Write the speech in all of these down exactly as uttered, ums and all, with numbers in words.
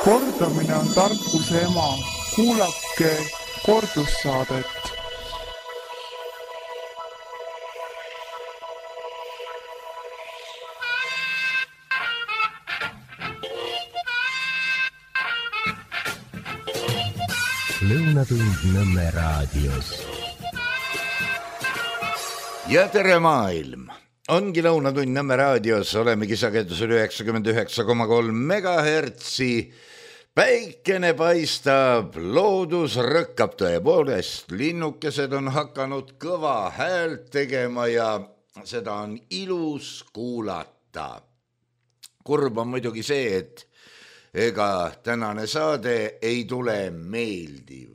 Kordamine on tarkuse ema. Kuulake kordussaadet. Lõunatund Nõmme raadios. Ja tere maailm! Ongi Lõunatund Nõmme raadios, olemegi sagedusel üheksakümmend üheksa koma kolm megahertsi. Päikene paistab, loodus rõkkab tõepoolest, linnukesed on hakanud kõva häält tegema ja seda on ilus kuulata. Kurb on muidugi see, et ega tänane saade ei tule meeldiv.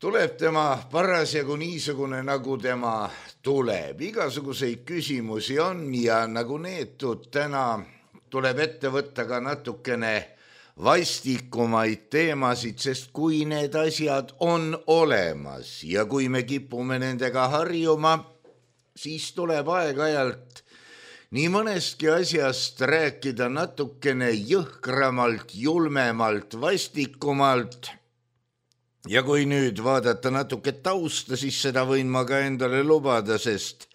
Tuleb tema parasjagu niisugune, nagu tema tuleb. Igasuguseid küsimusi on ja nagu neetud täna tuleb ette võtta ka natukene vastikumaid teemasid, sest kui need asjad on olemas ja kui me kipume nendega harjuma, siis tuleb aeg-ajalt nii mõnestki asjast rääkida natukene jõhkramalt, julmemalt, vastikumalt. Ja kui nüüd vaadata natuke tausta, siis seda võin ma ka endale lubada, sest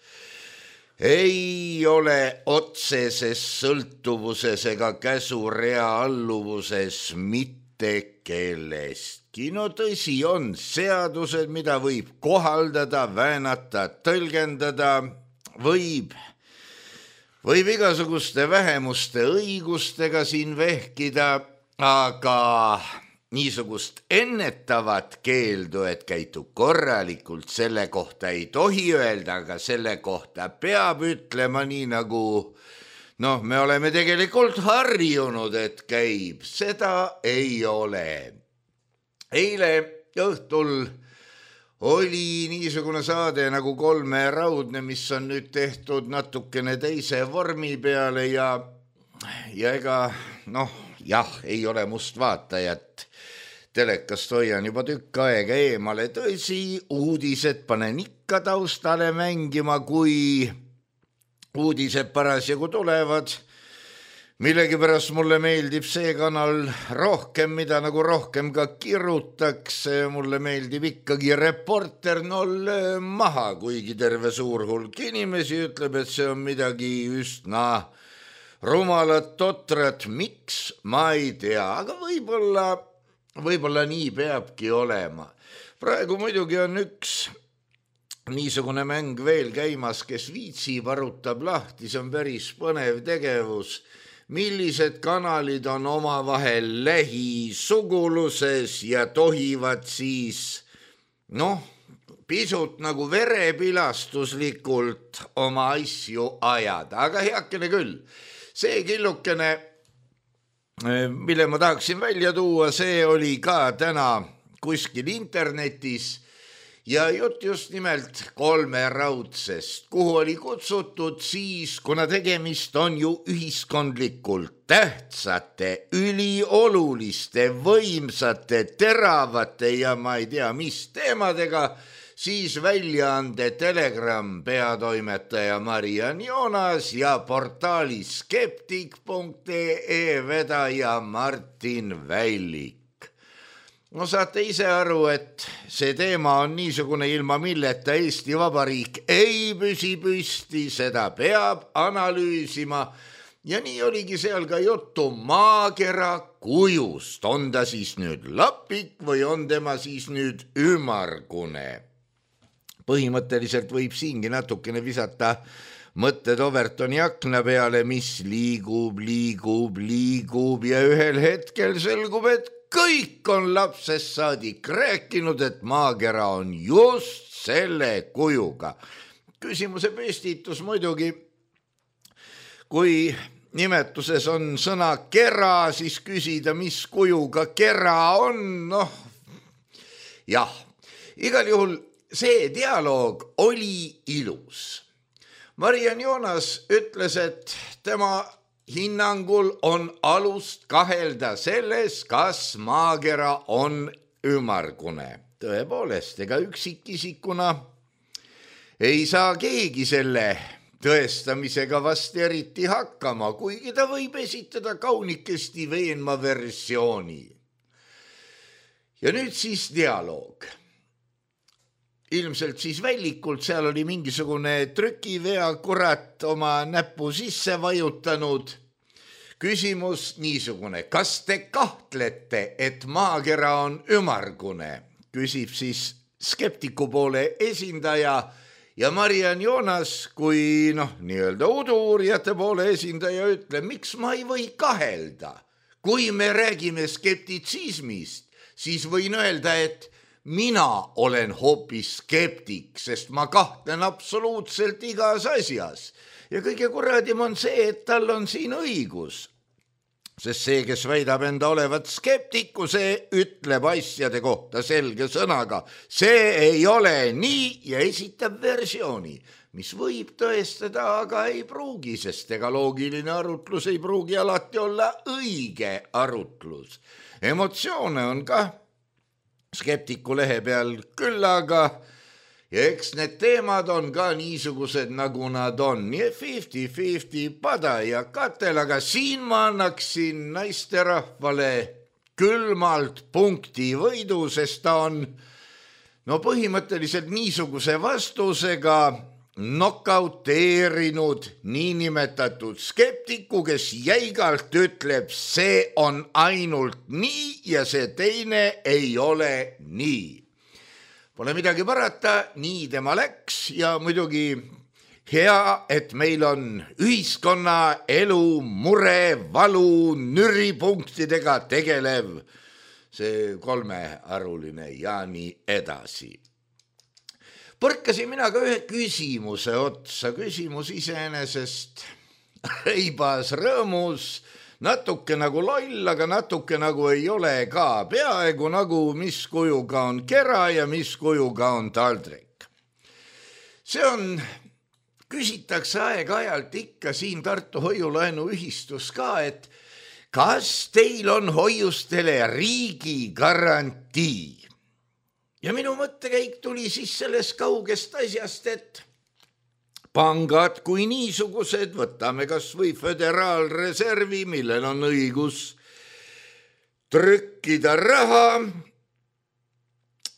ei ole otseses sõltuvuses ega käsurea alluvuses mitte kellestki. No tõsi on seadused, mida võib kohaldada, väänata, tõlgendada, võib Võib igasuguste vähemuste õigustega siin vehkida, aga niisugust ennetavat keeldu, et käitu korralikult, selle kohta ei tohi öelda, aga selle kohta peab ütlema nii nagu, noh, me oleme tegelikult harjunud, et käib, seda ei ole. Eile õhtul oli niisugune saade nagu Kolme raudne, mis on nüüd tehtud natukene teise vormi peale ja, ja ega, noh, jah, ei ole must vaatajat. Telekast hoian juba tükk aega eemale. Tõsi, uudised panen ikka taustale mängima, kui uudised parasjagu tulevad. Millegi pärast mulle meeldib see kanal rohkem, mida nagu rohkem ka kirutakse. Mulle meeldib ikkagi Reporter null maha, kuigi terve suur hulk inimesi ütleb, et see on midagi üsna rumalat, totrat. Miks? Ma ei tea, aga võib-olla, võib-olla nii peabki olema. Praegu muidugi on üks niisugune mäng veel käimas, kes viitsib, arutab lahti, see on päris põnev tegevus. Millised kanalid on omavahel lähisuguluses ja tohivad siis, noh, pisut nagu verepilastuslikult oma asju ajada. Aga heakene küll, see killukene, mille ma tahaksin välja tuua, see oli ka täna kuskil internetis ja jutt just nimelt Kolme raudsest, kuhu oli kutsutud siis, kuna tegemist on ju ühiskondlikult tähtsate, ülioluliste, võimsate, teravate ja ma ei tea mis teemadega, siis väljaande Telegram peatoimetaja Mariann Joonas ja portaali skeptik punkt ee vedaja Martin Vällik. No saate ise aru, et see teema on niisugune, ilma milleta Eesti Vabariik ei püsi püsti, seda peab analüüsima. Ja nii oligi seal ka juttu maakera kujust. On ta siis nüüd lapik või on tema siis nüüd ümmargune? Põhimõtteliselt võib siingi natukene visata mõtted Overtoni akna peale, mis liigub, liigub, liigub ja ühel hetkel selgub, et kõik on lapsest saadik rääkinud, et maakera on just selle kujuga. Küsimuse püstitus muidugi, kui nimetuses on sõna kera, siis küsida, mis kujuga kera on, noh, jah. Igal juhul see dialoog oli ilus. Mariann Joonas ütles, et tema hinnangul on alust kahelda selles, kas maakera on ümmargune. Tõepoolest, ega üksikisikuna ei saa keegi selle tõestamisega vast eriti hakkama, kuigi ta võib esitada kaunikesti veenma versiooni. Ja nüüd siis dialoog. Ilmselt siis vällikult, seal oli mingisugune trükivea kurat oma näpu sisse vajutanud. Küsimus niisugune, kas te kahtlete, et maakera on ümargune? Küsib siis skeptiku poole esindaja ja Mariann Joonas, kui noh, nii-öelda udu-uurijate poole esindaja ütleb, miks ma ei või kahelda? Kui me räägime skeptitsismist, siis võin öelda, et mina olen hoopis skeptik, sest ma kahtlen absoluutselt igas asjas. Ja kõige kuradim on see, et tal on siin õigus. Sest see, kes väidab enda olevat skeptiku, see ütleb asjade kohta selge sõnaga. See ei ole nii ja esitab versiooni, mis võib tõestada, aga ei pruugi, sest ega loogiline arutlus ei pruugi alati olla õige arutlus. Emotsioone on ka skeptiku lehe peal küll, aga ja eks need teemad on ka niisugused, nagu nad on. Nii fifty fifty pada ja katel, aga siin ma annaksin naisterahvale külmalt punkti võidu, sest ta on no põhimõtteliselt niisuguse vastusega nokauteerinud niinimetatud skeptiku, kes jäigalt ütleb, see on ainult nii ja see teine ei ole nii. Pole midagi parata, nii tema läks ja muidugi hea, et meil on ühiskonna elu, mure, valu, nüripunktidega tegelev see kolmearuline ja nii edasi. Põrkasin mina ka ühe küsimuse otsa, küsimus iseenesest reibas rõõmus, natuke nagu loll, aga natuke nagu ei ole ka, peaaegu nagu mis kujuga on kera ja mis kujuga on taldrik. See on, küsitakse aeg-ajalt ikka siin Tartu hoiulaenu ühistus ka, et kas teil on hoiustele riigi garantii? Ja minu mõttekäik tuli siis sellest kaugest asjast, et pangad kui niisugused, võtame kas või föderaalreservi, millel on õigus trükkida raha.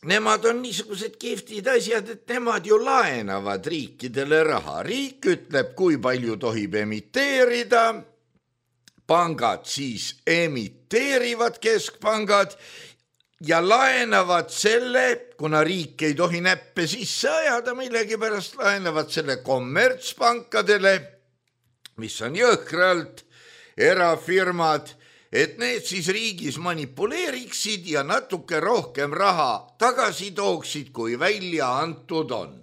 Nemad on niisugused kihvtid asjad, et nemad ju laenavad riikidele raha. Riik ütleb, kui palju tohib emiteerida. Pangad siis emiteerivad keskpangad ja laenavad selle, kuna riik ei tohi näppe sisse ajada, millegipärast laenavad selle kommertspankadele, mis on jõhkralt erafirmad, et need siis riigis manipuleeriksid ja natuke rohkem raha tagasi tooksid, kui välja antud on.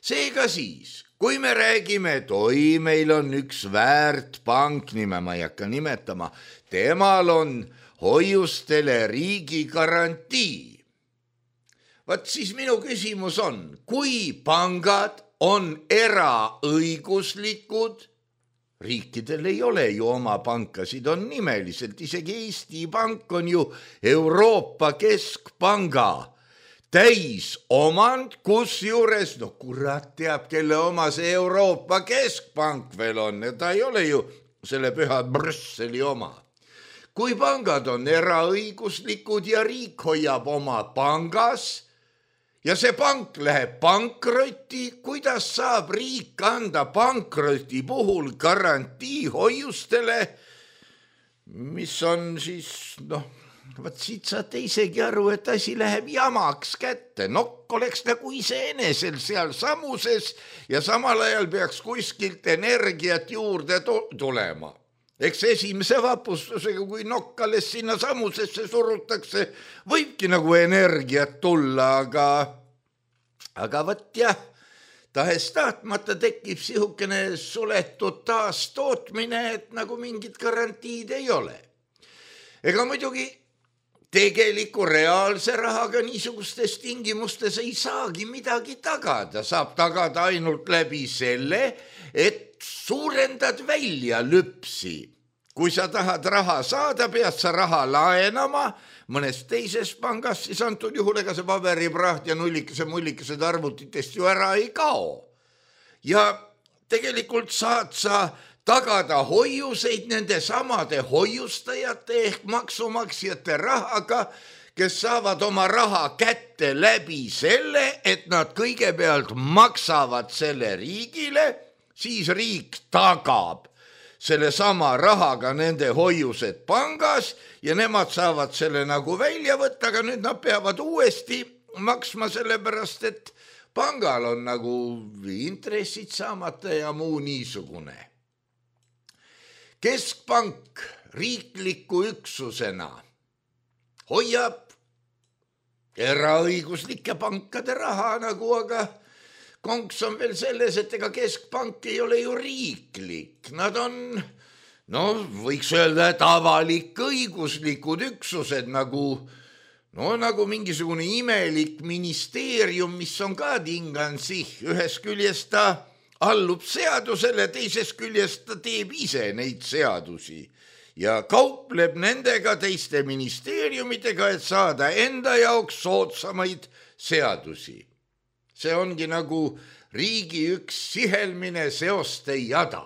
Seega siis, kui me räägime, et oi, meil on üks väärt pank, nime ma ei hakka nimetama, temal on hoiustele riigi garantii. Vaat siis minu küsimus on, kui pangad on eraõiguslikud, riikidel ei ole ju oma pankasid, on nimeliselt, isegi Eesti Pank on ju Euroopa Keskpanga täisomand, kus juures, no kurat teab, kelle oma see Euroopa Keskpank veel on, ja ta ei ole ju selle püha Brüsseli oma. Kui pangad on eraõiguslikud ja riik hoiab oma pangas ja see pank läheb pankrotti, kuidas saab riik anda pankroti puhul garantii hoiustele, mis on siis, noh, vaat siit saate isegi aru, et asi läheb jamaks kätte. Nokk oleks nagu iseenesel seal samuses ja samal ajal peaks kuskilt energiat juurde tulema. Eks esimese vapustusega, kui nokk alles sinna samusesse surutakse, võibki nagu energiat tulla, aga, aga võt jah, tahes tahtmata tekib sihukene suletud taastootmine, et nagu mingit garantiid ei ole. Ega muidugi tegeliku reaalse rahaga niisugustes tingimustes ei saagi midagi tagada, saab tagada ainult läbi selle, et suurendad välja lüpsi. Kui sa tahad raha saada, pead sa raha laenama mõnest teisest pangast, siis antud juhul ega see paberipraht ja nullikese mullikesed arvutitest ju ära ei kao. Ja tegelikult saad sa tagada hoiuseid nende samade hoiustajate ehk maksumaksjate rahaga, kes saavad oma raha kätte läbi selle, et nad kõigepealt maksavad selle riigile, siis riik tagab selle sama rahaga nende hoiused pangas ja nemad saavad selle nagu välja võtta, aga nüüd nad peavad uuesti maksma sellepärast, et pangal on nagu intressid saamata ja muu niisugune. Keskpank riikliku üksusena hoiab eraõiguslike pankade raha nagu, aga konks on veel selles, et ega keskpank ei ole ju riiklik. Nad on, no võiks öelda, et avalik õiguslikud üksused nagu, no nagu mingisugune imelik ministeerium, mis on ka tingansi. Ühes küljest ta allub seadusele, teises küljest ta teeb ise neid seadusi ja kaupleb nendega teiste ministeeriumidega, et saada enda jaoks soodsamaid seadusi. See ongi nagu riigi üks sihelmine seoste jada.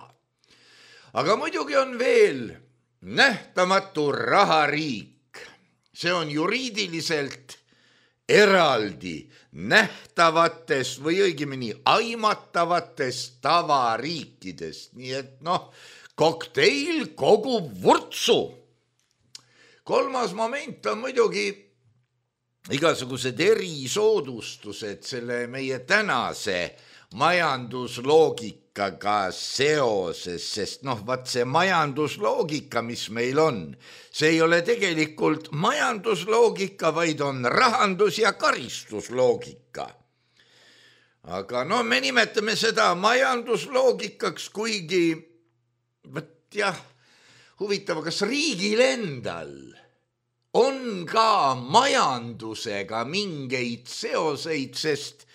Aga muidugi on veel nähtamatu rahariik. See on juriidiliselt eraldi nähtavatest või õigemini aimatavatest tavariikidest. Nii et noh, kokteil kogub vurtsu. Kolmas moment on muidugi igasugused erisoodustused selle meie tänase majandusloogikaga seoses, sest noh, vaat see majandusloogika, mis meil on, see ei ole tegelikult majandusloogika, vaid on rahandus- ja karistusloogika. Aga no me nimetame seda majandusloogikaks, kuigi võt jah, huvitav, kas riigil endal on ka majandusega mingeid seoseid, sest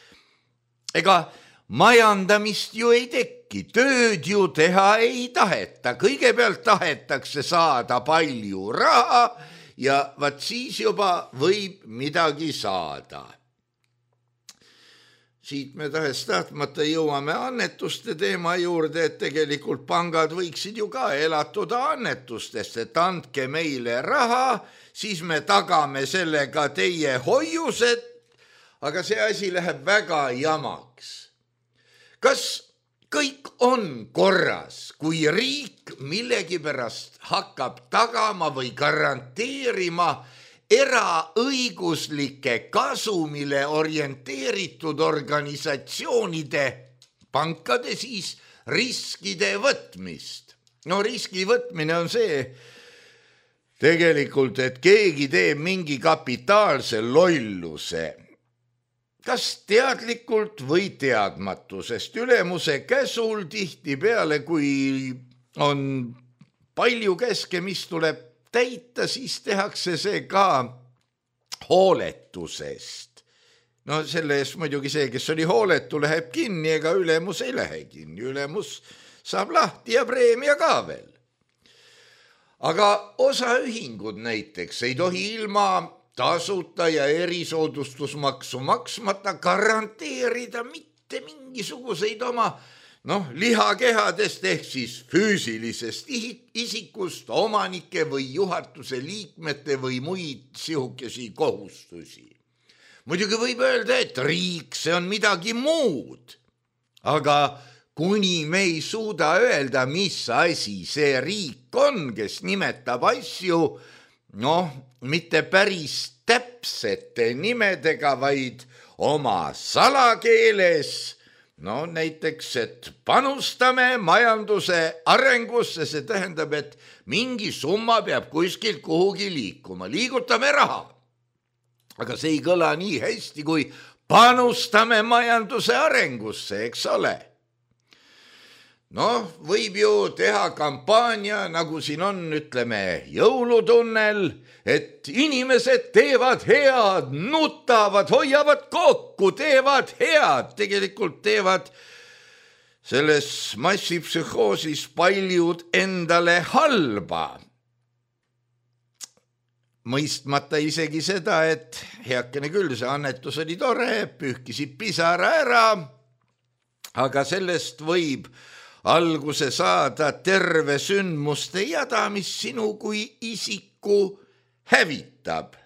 ega majandamist ju ei teki, tööd ju teha ei taheta. Kõigepealt tahetakse saada palju raha ja vaat siis juba võib midagi saada. Siit me tahes tahtmata jõuame annetuste teema juurde, et tegelikult pangad võiksid ju ka elatuda annetustest, et andke meile raha, siis me tagame sellega teie hoiused, aga see asi läheb väga jamaks. Kas kõik on korras, kui riik millegipärast hakkab tagama või garanteerima eraõiguslike kasumile orienteeritud organisatsioonide, pankade siis, riskide võtmist? No riski võtmine on see tegelikult, et keegi teeb mingi kapitaalse lolluse. Kas teadlikult või teadmatusest ülemuse käsul tihti peale, kui on palju käske, mis tuleb täita, siis tehakse see ka hooletusest. No selle eest muidugi see, kes oli hooletu, läheb kinni, ega ülemus ei lähe kinni. Ülemus saab lahti ja preemia ka veel. Aga osaühingud näiteks ei tohi ilma tasuta ja erisoodustusmaksu maksmata garanteerida mitte mingisuguseid oma noh, lihakehadest ehk siis füüsilisest isikust, omanike või juhatuse liikmete või muid sihukesi kohustusi. Muidugi võib öelda, et riik, see on midagi muud, aga kuni me ei suuda öelda, mis asi see riik on, kes nimetab asju, noh, mitte päris täpsete nimedega, vaid oma salakeeles. No näiteks, et panustame majanduse arengusse, see tähendab, et mingi summa peab kuskilt kuhugi liikuma, liigutame raha. Aga see ei kõla nii hästi, kui panustame majanduse arengusse, eks ole. Noh, võib ju teha kampaania, nagu siin on, ütleme, jõulutunnel, et inimesed teevad head, nutavad, hoiavad kokku, teevad head, tegelikult teevad selles massipsühhoosis paljud endale halba. Mõistmata isegi seda, et heakene küll, see annetus oli tore, pühkisid pisara ära, aga sellest võib alguse saada terve sündmuste jada, mis sinu kui isiku hävitab.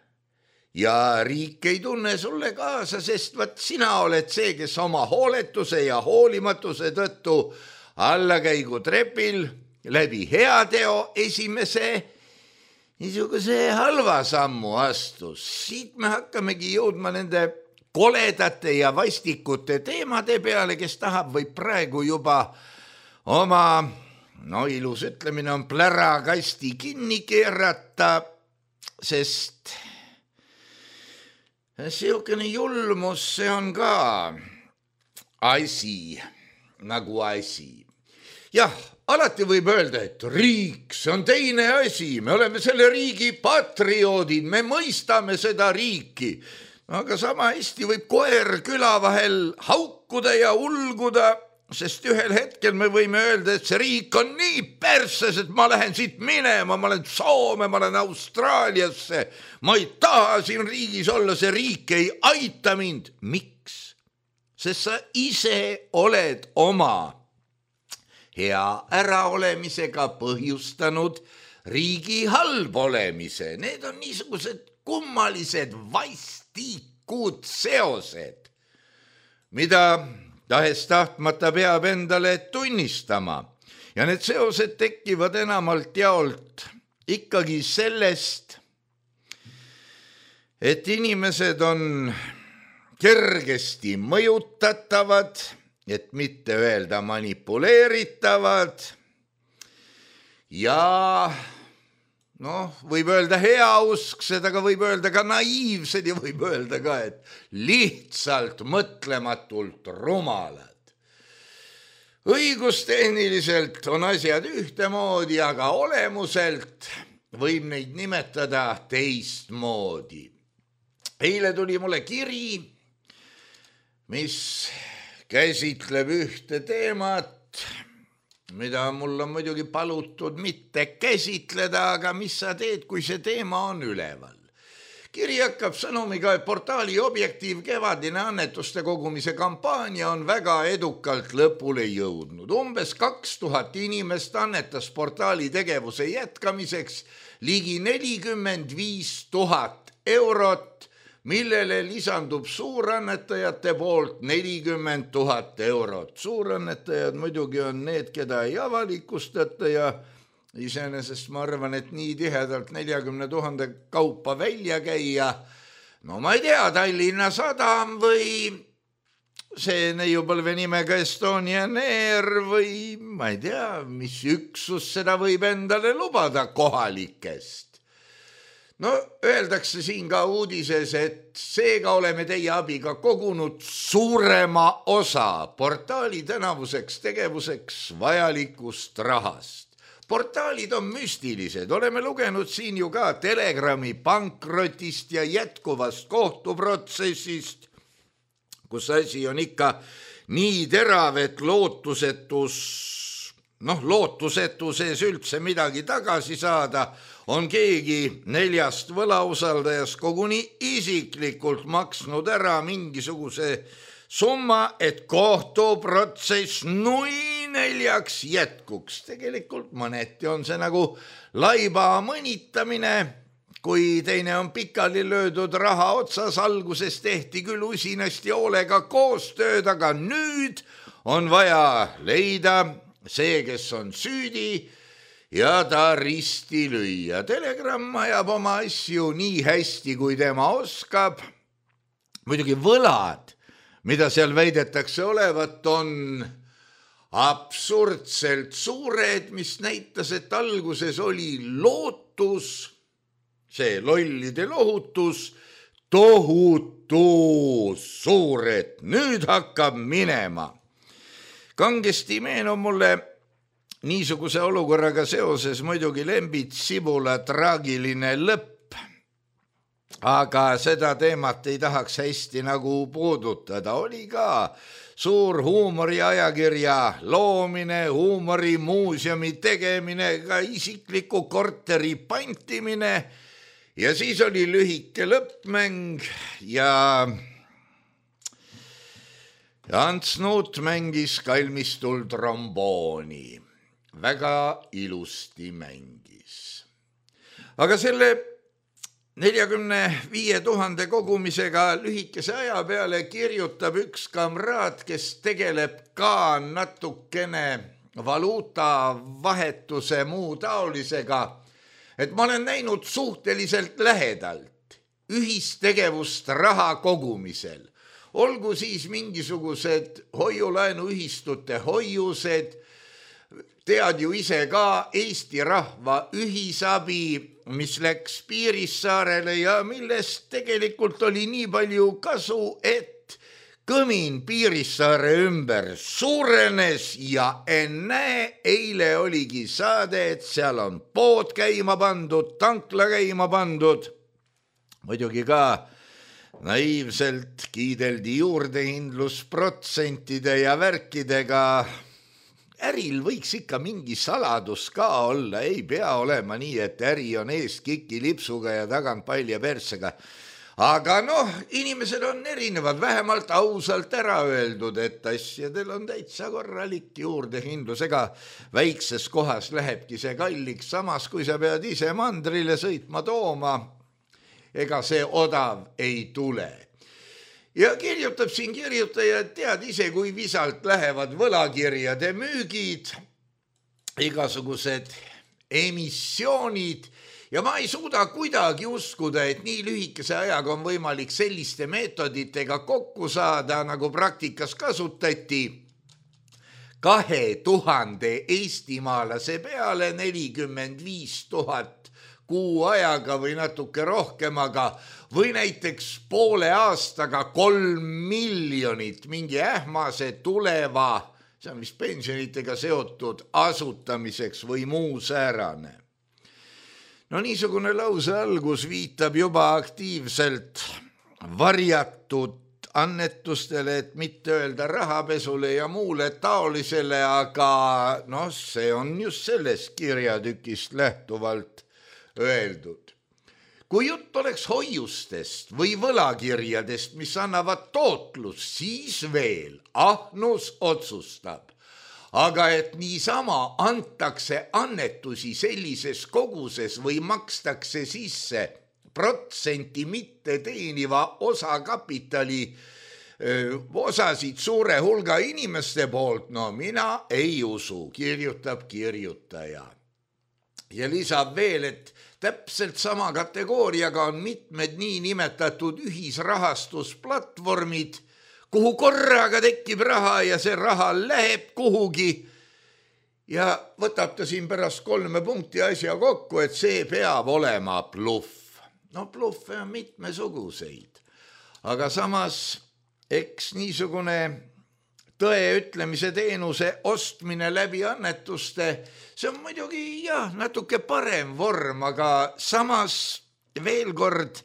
Ja riik ei tunne sulle kaasa, sest vaat sina oled see, kes oma hooletuse ja hoolimatuse tõttu allakäigu trepil läbi heateo esimese niisuguse halva sammu astus. Siit me hakkamegi jõudma nende koledate ja vastikute teemade peale, kes tahab või praegu juba oma, no ilus ütlemine on plärakasti kinni keerata, sest siukene julmus, see on ka asi, nagu asi. Jah, alati võib öelda, et riik, see on teine asi, me oleme selle riigi patrioodid, me mõistame seda riiki. Aga sama hästi võib koer küla vahel haukuda ja ulguda, sest ühel hetkel me võime öelda, et see riik on nii perses, et ma lähen siit minema, ma olen Soome, ma olen Austraaliasse, ma ei taha siin riigis olla, see riik ei aita mind. Miks? Sest sa ise oled oma hea äraolemisega põhjustanud riigi halb olemise. Need on niisugused kummalised vastikud seosed, mida tahes tahtmata peab endale tunnistama. Ja need seosed tekivad enamalt jaolt ikkagi sellest, et inimesed on kergesti mõjutatavad, et mitte öelda manipuleeritavad ja noh, võib öelda heausksed, aga võib öelda ka naiivsed ja võib öelda ka, et lihtsalt mõtlematult rumalad. Õigustehniliselt on asjad ühtemoodi, aga olemuselt võib neid nimetada teistmoodi. Eile tuli mulle kiri, mis käsitleb ühte teemat, mida mul on muidugi palutud mitte käsitleda, aga mis sa teed, kui see teema on üleval. Kiri hakkab sõnumiga, et portaali Objektiiv kevadine annetuste kogumise kampaania on väga edukalt lõpule jõudnud. Umbes kaks tuhat inimest annetas portaali tegevuse jätkamiseks ligi nelikümmend viis tuhat eurot, millele lisandub suurannetajate poolt nelikümmend tuhat eurot. Suurannetajad muidugi on need, keda ei avalikustata ja iseenesest ma arvan, et nii tihedalt neljakümne tuhande kaupa välja käia. No ma ei tea, Tallinna Sadam või see neiupõlve nimega Estonian Air või ma ei tea, mis üksus seda võib endale lubada kohalikest. No öeldakse siin ka uudises, et seega oleme teie abiga kogunud suurema osa portaali tänavuseks tegevuseks vajalikust rahast. Portaalid on müstilised, oleme lugenud siin ju ka Telegrami pankrotist ja jätkuvast kohtuprotsessist, kus asi on ikka nii terav, et lootusetus, noh lootusetu sees üldse midagi tagasi saada, on keegi neljast võlausaldajast koguni isiklikult maksnud ära mingisuguse summa, et kohtuprotsess nui neljaks jätkuks. Tegelikult mõneti on see nagu laiba mõnitamine, kui teine on pikali löödud raha otsas. Alguses tehti küll usinasti hoolega koostööd, aga nüüd on vaja leida see, kes on süüdi, ja ta risti lüüa. Telegram ajab oma asju nii hästi, kui tema oskab. Muidugi võlad, mida seal väidetakse olevat, on absurdselt suured, mis näitas, et alguses oli lootus, see lollide lohutus, tohutu suur, et nüüd hakkab minema. Kangesti meenub mulle niisuguse olukorraga seoses muidugi Lembit Sibula traagiline lõpp, aga seda teemat ei tahaks hästi nagu puudutada. Oli ka suur huumoriajakirja loomine, huumorimuuseumi tegemine, ka isikliku korteri pantimine ja siis oli lühike lõppmäng ja ja Ants Nuut mängis kalmistul trombooni. Väga ilusti mängis. Aga selle neljakümne viie tuhande kogumisega lühikese aja peale kirjutab üks kamraad, kes tegeleb ka natukene valuuta vahetuse muu taolisega, et ma olen näinud suhteliselt lähedalt ühistegevust raha kogumisel. Olgu siis mingisugused hoiulaenuühistute hoiused, tead ju ise ka Eesti rahva ühisabi, mis läks Piirissaarele ja millest tegelikult oli nii palju kasu, et kõmin Piirissaare ümber suurenes ja ennäe, eile oligi saade, et seal on pood käima pandud, tankla käima pandud. Muidugi ka naiivselt kiideldi juurdehindlusprotsentide ja värkidega. Äril võiks ikka mingi saladus ka olla, ei pea olema nii, et äri on eest kiki lipsuga ja tagant palja persega. Aga noh, inimesed on erinevad, vähemalt ausalt ära öeldud, et asjadel on täitsa korralik juurdehindlus, ega väikses kohas lähebki see kalliks, samas kui sa pead ise mandrile sõitma tooma, ega see odav ei tule. Ja kirjutab siin kirjutaja, et tead ise, kui visalt lähevad võlakirjade müügid, igasugused emissioonid ja ma ei suuda kuidagi uskuda, et nii lühikese ajaga on võimalik selliste meetoditega kokku saada, nagu praktikas kasutati. Kahe tuhande eestimaalase peale nelikümmend viis tuhat kuu ajaga või natuke rohkem, aga või näiteks poole aastaga kolm miljonit mingi ähmase tuleva, see on vist pensionitega seotud asutamiseks või muu säärane. No niisugune lause algus viitab juba aktiivselt varjatud annetustele, et mitte öelda rahapesule ja muule taolisele, aga noh, see on just sellest kirjatükist lähtuvalt öeldud. Kui jutt oleks hoiustest või võlakirjadest, mis annavad tootlust, siis veel ahnus otsustab. Aga et niisama antakse annetusi sellises koguses või makstakse sisse protsenti mitte teeniva osakapitali öö, osasid suure hulga inimeste poolt, no mina ei usu, kirjutab kirjutaja. Ja lisab veel, et täpselt sama kategooriaga on mitmed nii nimetatud ühisrahastusplatvormid, kuhu korraga tekib raha ja see raha läheb kuhugi ja võtab ta siin pärast kolme punkti asja kokku, et see peab olema bluff. No bluffe on mitmesuguseid, aga samas eks niisugune tõe ütlemise teenuse ostmine läbi annetuste, see on muidugi jah, natuke parem vorm, aga samas veel kord,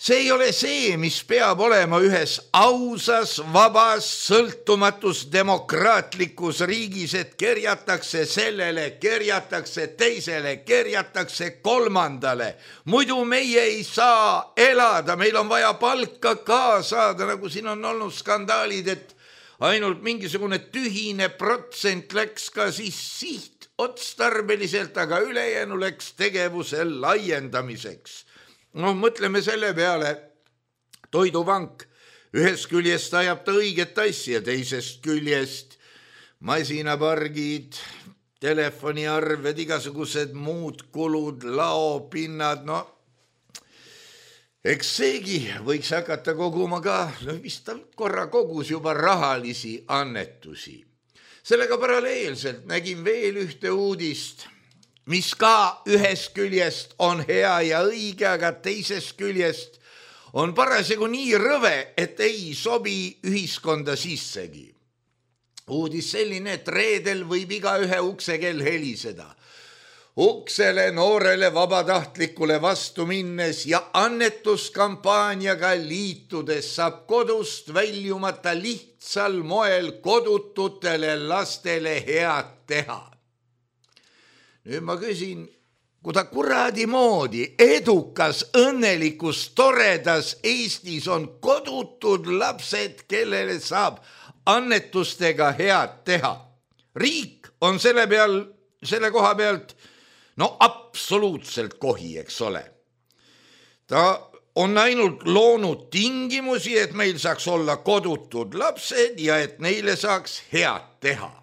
see ei ole see, mis peab olema ühes ausas, vabas, sõltumatus demokraatlikus riigis, et kerjatakse sellele, kerjatakse teisele, kerjatakse kolmandale. Muidu meie ei saa elada, meil on vaja palka ka saada, nagu siin on olnud skandaalid, et ainult mingisugune tühine protsent läks ka siis siht otstarbeliselt, aga ülejäänu läks tegevuse laiendamiseks. No mõtleme selle peale, Toidupank ühest küljest ajab ta õiget asja, teisest küljest masinapargid, telefoniarved, igasugused muud kulud, laopinnad, no eks seegi võiks hakata koguma ka, no vist ta korra kogus juba rahalisi annetusi. Sellega paralleelselt nägin veel ühte uudist, mis ka ühest küljest on hea ja õige, aga teisest küljest on parasjagu nii rõve, et ei sobi ühiskonda sissegi. Uudis selline, et reedel võib iga ühe uksekell heliseda. Uksele noorele vabatahtlikule vastu minnes ja annetuskampaaniaga liitudes saab kodust väljumata lihtsal moel kodututele lastele head teha. Nüüd ma küsin, kui ta kuradi moodi edukas, õnnelikus, toredas Eestis on kodutud lapsed, kellele saab annetustega head teha. Riik on selle peal, selle koha pealt, no absoluutselt kohi, eks ole. Ta on ainult loonud tingimusi, et meil saaks olla kodutud lapsed ja et neile saaks head teha.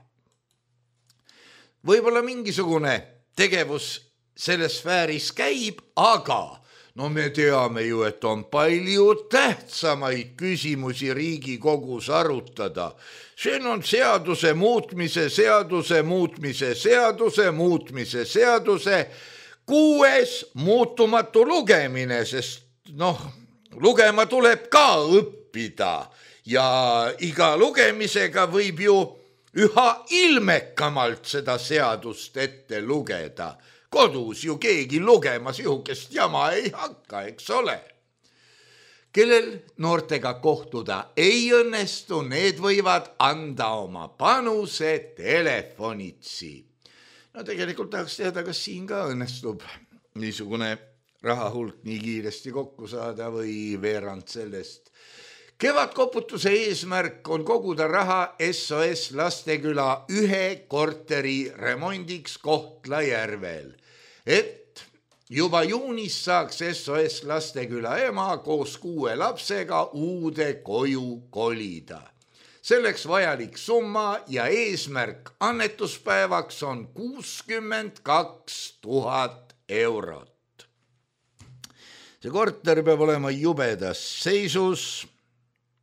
Võib-olla mingisugune tegevus selles sfääris käib, aga no me teame ju, et on palju tähtsamaid küsimusi Riigikogus arutada. Siin on seaduse muutmise, seaduse muutmise, seaduse muutmise, seaduse kuues muutumatu lugemine, sest noh, lugema tuleb ka õppida ja iga lugemisega võib ju üha ilmekamalt seda seadust ette lugeda. Kodus ju keegi lugema sihukest jama ei hakka, eks ole. Kellel noortega kohtuda ei õnnestu, need võivad anda oma panuse telefonitsi. No tegelikult tahaks teada, kas siin ka õnnestub niisugune rahahulk nii kiiresti kokku saada või veerand sellest. Kevadkoputuse eesmärk on koguda raha S O S Lasteküla ühe korteri remondiks Kohtla-Järvel, et juba juunis saaks S O S Lasteküla ema koos kuue lapsega uude koju kolida. Selleks vajalik summa ja eesmärk annetuspäevaks on kuuskümmend kaks tuhat eurot. See korter peab olema jubedas seisus,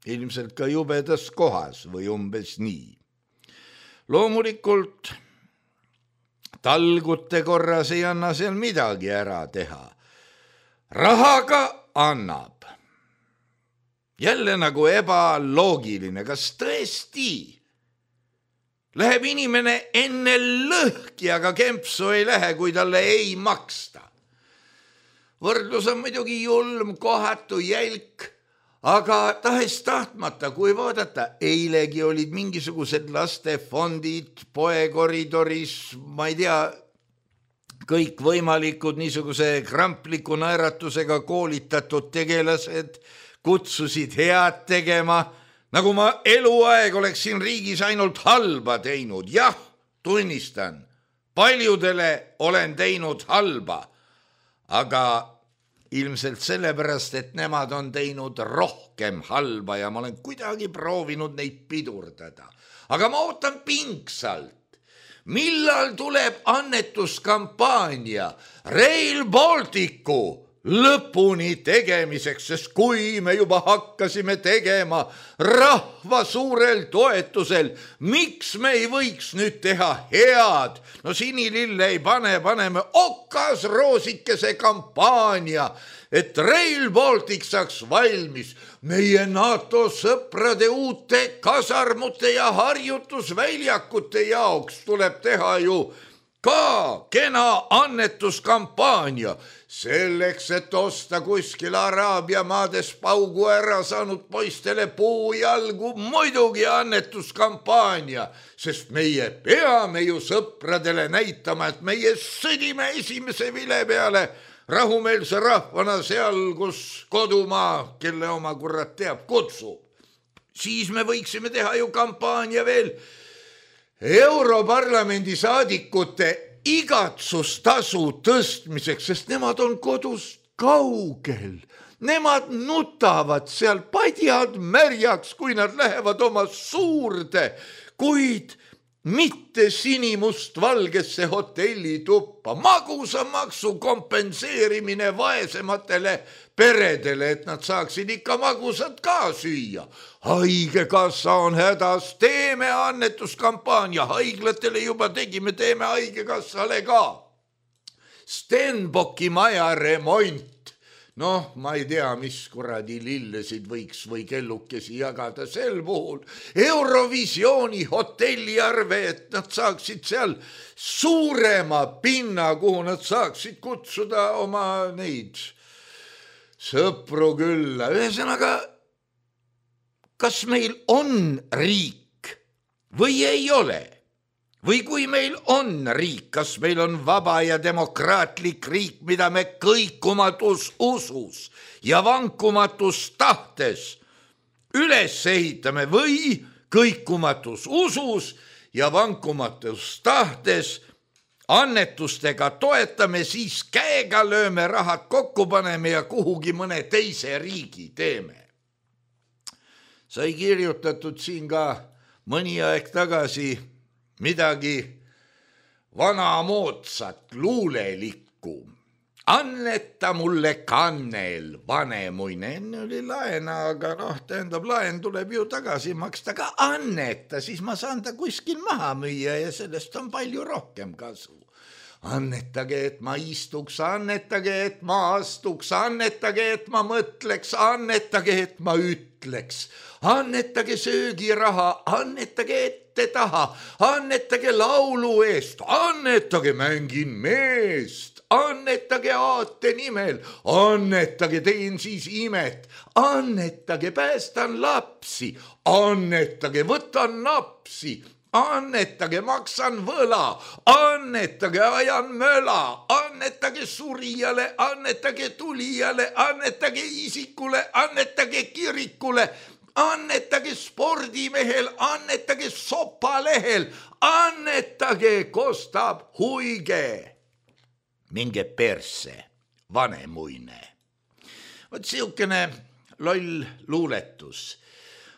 ilmselt ka jubedas kohas või umbes nii. Loomulikult talgute korras ei anna seal midagi ära teha. Rahaga annab. Jälle nagu ebaloogiline, kas tõesti läheb inimene enne lõhki, aga kempsu ei lähe, kui talle ei maksta. Võrdlus on muidugi julm, kohatu, jälk, aga tahes tahtmata, kui vaadata, eilegi olid mingisugused lastefondid poekoridoris, ma ei tea, kõik võimalikud niisuguse krampliku naeratusega koolitatud tegelased kutsusid head tegema, nagu ma eluaeg oleks siin riigis ainult halba teinud. Jah, tunnistan, paljudele olen teinud halba, aga ilmselt sellepärast, et nemad on teinud rohkem halba ja ma olen kuidagi proovinud neid pidurdada. Aga ma ootan pingsalt, millal tuleb annetuskampaania Rail Balticu lõpuni tegemiseks, sest kui me juba hakkasime tegema rahva suurel toetusel, miks me ei võiks nüüd teha head? No sinilille ei pane, paneme okas roosikese kampaania, et Rail Baltic saaks valmis. Meie NATO sõprade uute kasarmute ja harjutusväljakute jaoks tuleb teha ju ka kena annetuskampaania, selleks, et osta kuskil Araabia maades paugu ära saanud poistele puujalgu, muidugi annetuskampaania, sest meie peame ju sõpradele näitama, et meie sõdime esimese vile peale rahumeelse rahvana seal, kus kodumaa, kelle oma kurat teab, kutsub. Siis me võiksime teha ju kampaania veel Europarlamendi saadikute igatsustasu tõstmiseks, sest nemad on kodust kaugel. Nemad nutavad seal padjad märjaks, kui nad lähevad oma suurde, kuid mitte sinimust-valgesse hotellituppa. Magusamaksu kompenseerimine vaesematele peredele, et nad saaksid ikka magusat ka süüa. Haigekassa on hädas, teeme annetuskampaania, haiglatele juba tegime, teeme haigekassale ka. Stenbocki maja remont. Noh, ma ei tea, mis kuradi lillesid võiks või kellukesi jagada sel puhul. Eurovisiooni hotelliarve, et nad saaksid seal suurema pinna, kuhu nad saaksid kutsuda oma neid sõpru külla. Ühesõnaga, kas meil on riik või ei ole? Või kui meil on riik, kas meil on vaba ja demokraatlik riik, mida me kõikumatus usus ja vankumatus tahtes üles ehitame või kõikumatus usus ja vankumatus tahtes annetustega toetame, siis käega lööme rahad kokku, paneme ja kuhugi mõne teise riigi teeme. Sai kirjutatud siin ka mõni aeg tagasi midagi vanamoodsat luulelikku. Anneta mulle kannel, vanemuine, enne oli laena, aga noh, tähendab, laen tuleb ju tagasi maksta, ka anneta, siis ma saan ta kuskil maha müüa ja sellest on palju rohkem kasu. Annetage, et ma istuks, annetage, et ma astuks, annetage, et ma mõtleks, annetage, et ma ütleks. Annetage söögiraha, annetage ette taha, annetage laulu eest, annetage mängin meest, annetage aate nimel, annetage teen siis imet, annetage päästan lapsi, annetage võtan napsi, annetage maksan võla, annetage ajan möla, annetage surijale, annetage tulijale, annetage isikule, annetage kirikule, annetage spordimehel, annetage sopalehel, annetage, kostab huige. Minge perse, vanemuine. Vot siukene loll luuletus.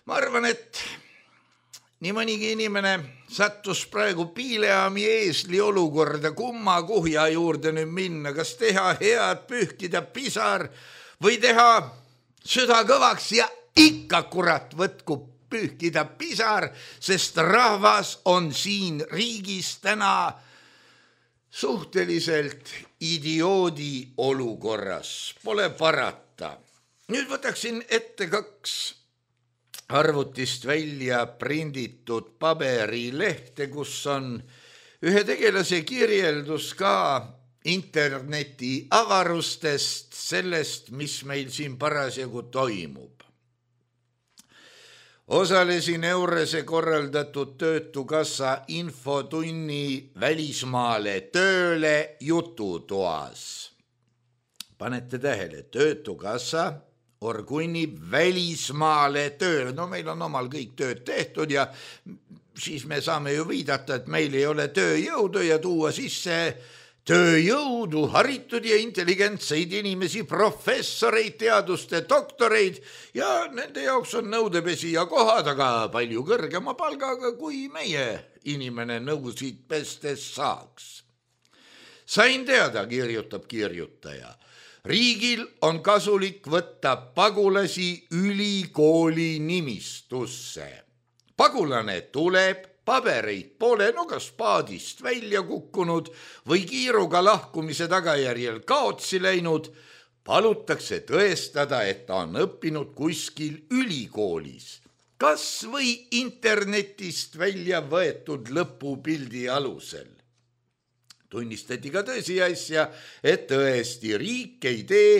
Ma arvan, et nii mõnigi inimene sattus praegu piileami eesli olukorda, kumma kuhja juurde nüüd minna, kas teha head, pühkida pisar või teha süda kõvaks ja ikka kurat võtku pühkida pisar, sest rahvas on siin riigis täna suhteliselt idioodi olukorras. Pole parata. Nüüd võtaksin ette kaks arvutist välja prinditud paberilehte, kus on ühe tegelase kirjeldus ka interneti avarustest, sellest, mis meil siin parasjagu toimub. Osalesin Eurese korraldatud Töötukassa infotunni välismaale tööle jututoas. Panete tähele, Töötukassa Orgunni välismaale tööle. No meil on omal kõik tööd tehtud ja siis me saame ju viidata, et meil ei ole tööjõudu ja tuua sisse tööjõudu, haritud ja intelligentseid inimesi, professoreid, teaduste doktoreid ja nende jaoks on nõudepesi ja kohad, aga palju kõrgema palgaga, kui meie inimene nõusid pestes saaks. Sain teada, kirjutab kirjutaja. Riigil on kasulik võtta pagulasi ülikooli nimistusse. Pagulane tuleb, pabereid pole, no kas paadist välja kukkunud või kiiruga lahkumise tagajärjel kaotsi läinud, palutakse tõestada, et ta on õppinud kuskil ülikoolis, kas või internetist välja võetud lõpupildi alusel. Tunnistati ka tõsiasja, et tõesti riik ei tee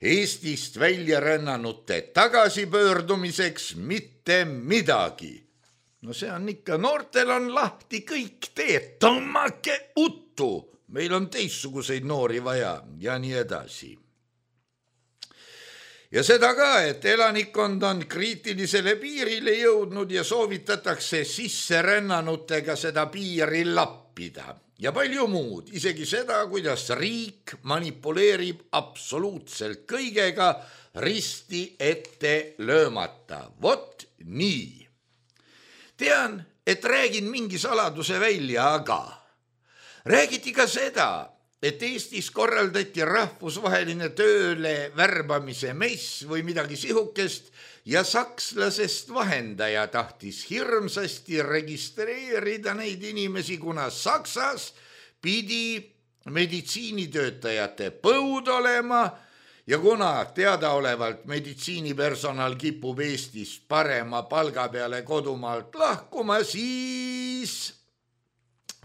Eestist välja rännanute tagasipöördumiseks mitte midagi. No see on ikka, noortel on lahti kõik teed, tõmmake uttu, meil on teistsuguseid noori vaja ja nii edasi. Ja seda ka, et elanikkond on kriitilisele piirile jõudnud ja soovitatakse sisserännanutega seda piiri lappida. Ja palju muud, isegi seda, kuidas riik manipuleerib absoluutselt kõigega risti ette löömata. Vot nii. Tean, et räägin mingi saladuse välja, aga räägiti ka seda, et Eestis korraldati rahvusvaheline tööle värbamise mess või midagi sihukest ja sakslasest vahendaja tahtis hirmsasti registreerida neid inimesi, kuna Saksas pidi meditsiinitöötajate põud olema ja kuna teadaolevalt meditsiinipersonal kipub Eestist parema palga peale kodumaalt lahkuma, siis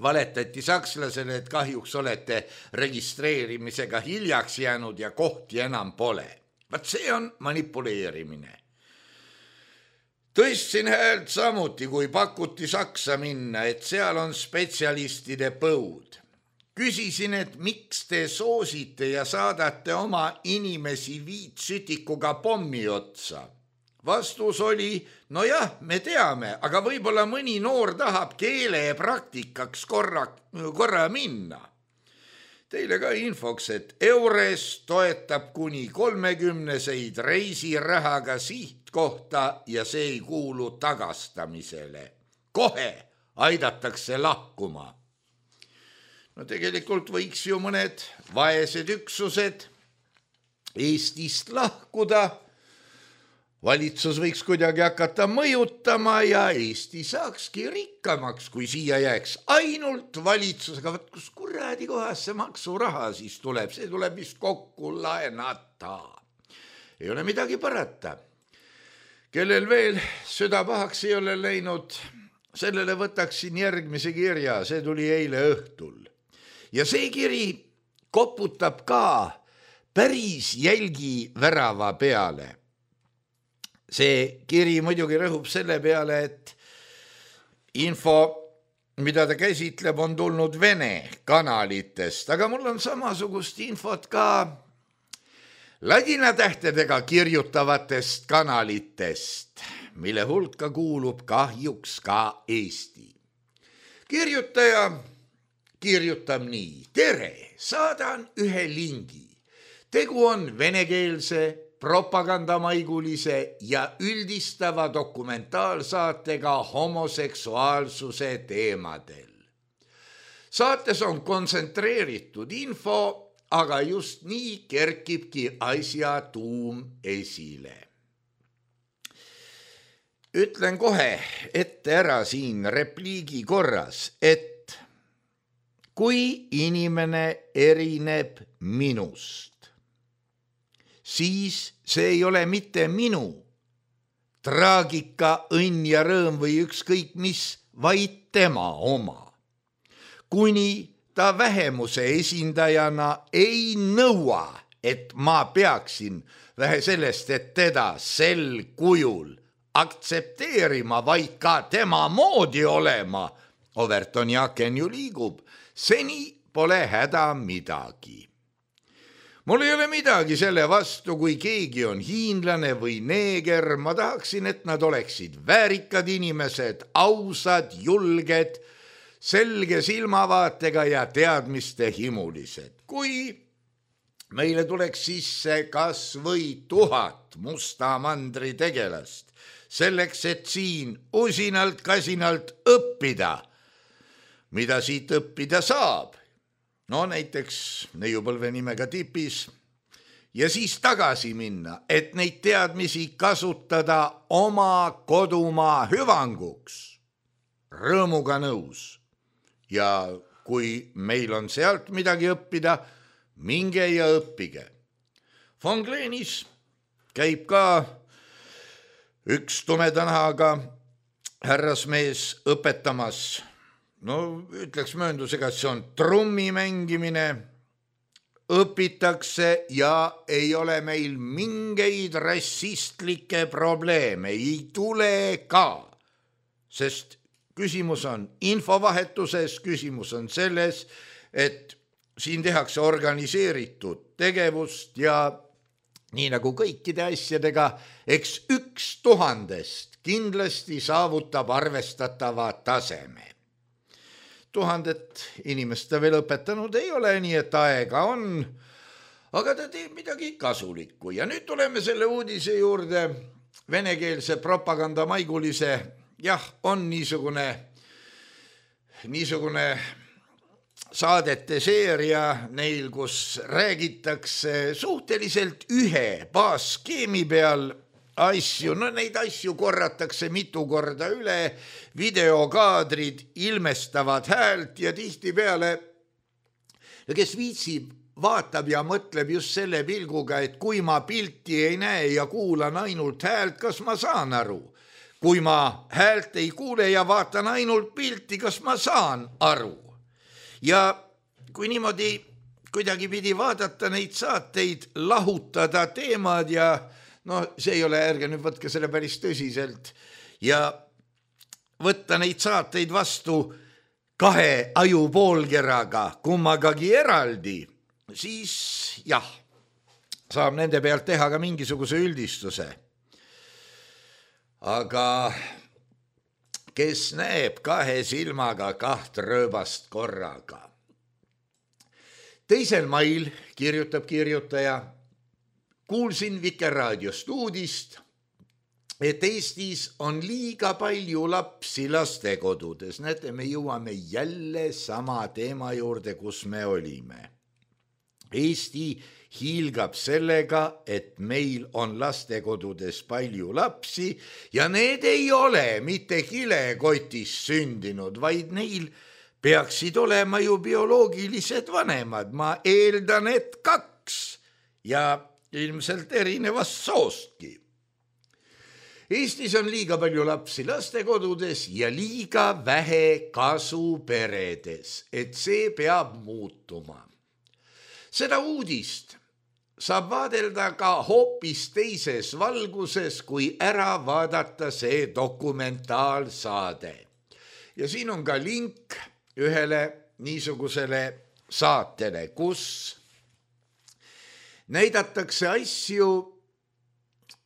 valetati sakslasele, et kahjuks olete registreerimisega hiljaks jäänud ja kohti enam pole. Vaat see on manipuleerimine. Tõstsin häält samuti, kui pakuti Saksa minna, et seal on spetsialistide põud. Küsisin, et miks te soosite ja saadate oma inimesi viitsütikuga pommi otsa. Vastus oli, no jah, me teame, aga võib-olla mõni noor tahab keele praktikaks korra, korra minna. Teile ka infoks, et Eures toetab kuni kolmekümneseid reisirahaga sihtkohta ja see ei kuulu tagastamisele. Kohe aidatakse lahkuma. No tegelikult võiks ju mõned vaesed üksused Eestist lahkuda. Valitsus võiks kuidagi hakata mõjutama ja Eesti saakski rikkamaks, kui siia jääks ainult valitsus. Aga võt, kus kuradi kohas see maksuraha siis tuleb? See tuleb vist kokku laenata. Ei ole midagi parata. Kellel veel süda pahaks ei ole läinud, sellele võtaksin järgmise kirja. See tuli eile õhtul. Ja see kiri koputab ka päris jälgi värava peale. See kiri muidugi rõhub selle peale, et info, mida ta käsitleb, on tulnud Vene kanalitest, aga mul on samasugust infot ka ladina tähtedega kirjutavatest kanalitest, mille hulka kuulub kahjuks ka Eesti. Kirjutaja kirjutab nii. Tere, saadan ühe lingi. Tegu on venekeelse propagandamaigulise ja üldistava dokumentaalsaatega homoseksuaalsuse teemadel. Saates on kontsentreeritud info, aga just nii kerkibki asja tuum esile. Ütlen kohe ette ära siin repliigi korras, et kui inimene erineb minust, siis see ei ole mitte minu traagika, õnn ja rõõm või ükskõik mis, vaid tema oma. Kuni ta vähemuse esindajana ei nõua, et ma peaksin vähe sellest, et teda sel kujul aktsepteerima, vaid ka tema moodi olema, Overton Jaken ju liigub, seni pole häda midagi. Mul ei ole midagi selle vastu, kui keegi on hiinlane või neeger. Ma tahaksin, et nad oleksid väärikad inimesed, ausad, julged, selge silmavaatega ja teadmiste himulised. Kui meile tuleks sisse kas või tuhat musta mandri tegelast, selleks, et siin usinalt kasinalt õppida, mida siit õppida saab, no näiteks neiupõlve nimega tipis, ja siis tagasi minna, et neid teadmisi kasutada oma kodumaa hüvanguks. Rõõmuga nõus. Ja kui meil on sealt midagi õppida, minge ja õppige. Von Glenis käib ka üks tumedanahaga härrasmees õpetamas. No ütleks mööndusega, et see on trummi mängimine, õpitakse ja ei ole meil mingeid rassistlikke probleeme, ei tule ka, sest küsimus on infovahetuses, küsimus on selles, et siin tehakse organiseeritud tegevust ja nii nagu kõikide asjadega, eks üks tuhandest kindlasti saavutab arvestatava taseme. Tuhandet inimest ta veel õpetanud ei ole, nii et aega on, aga ta teeb midagi kasulikku. Ja nüüd tuleme selle uudise juurde, venekeelse propagandamaigulise, jah, on niisugune, niisugune saadete seeria neil, kus räägitakse suhteliselt ühe baasskeemi peal asju, no neid asju korratakse mitu korda üle, videokaadrid ilmestavad häält ja tihtipeale, kes viitsib, vaatab ja mõtleb just selle pilguga, et kui ma pilti ei näe ja kuulan ainult häält, kas ma saan aru? Kui ma häält ei kuule ja vaatan ainult pilti, kas ma saan aru? Ja kui niimoodi kuidagi pidi vaadata neid saateid, lahutada teemad ja no see ei ole, ärge nüüd võtke selle päris tõsiselt ja võtta neid saateid vastu kahe ajupoolkeraga, kummagagi eraldi, siis jah, saab nende pealt teha ka mingisuguse üldistuse. Aga kes näeb kahe silmaga kaht rööbast korraga? Teisel mail, kirjutab kirjutaja, kuulsin Vikerraadiost uudist, et Eestis on liiga palju lapsi lastekodudes. Näete, me jõuame jälle sama teema juurde, kus me olime. Eesti hiilgab sellega, et meil on lastekodudes palju lapsi ja need ei ole mitte kilekotis sündinud, vaid neil peaksid olema ju bioloogilised vanemad. Ma eeldan, et kaks ja ilmselt erinevast soostki. Eestis on liiga palju lapsi lastekodudes ja liiga vähe kasu peredes, et see peab muutuma. Seda uudist saab vaadelda ka hoopis teises valguses, kui ära vaadata see dokumentaalsaade. Ja siin on ka link ühele niisugusele saatele, kus näidatakse asju,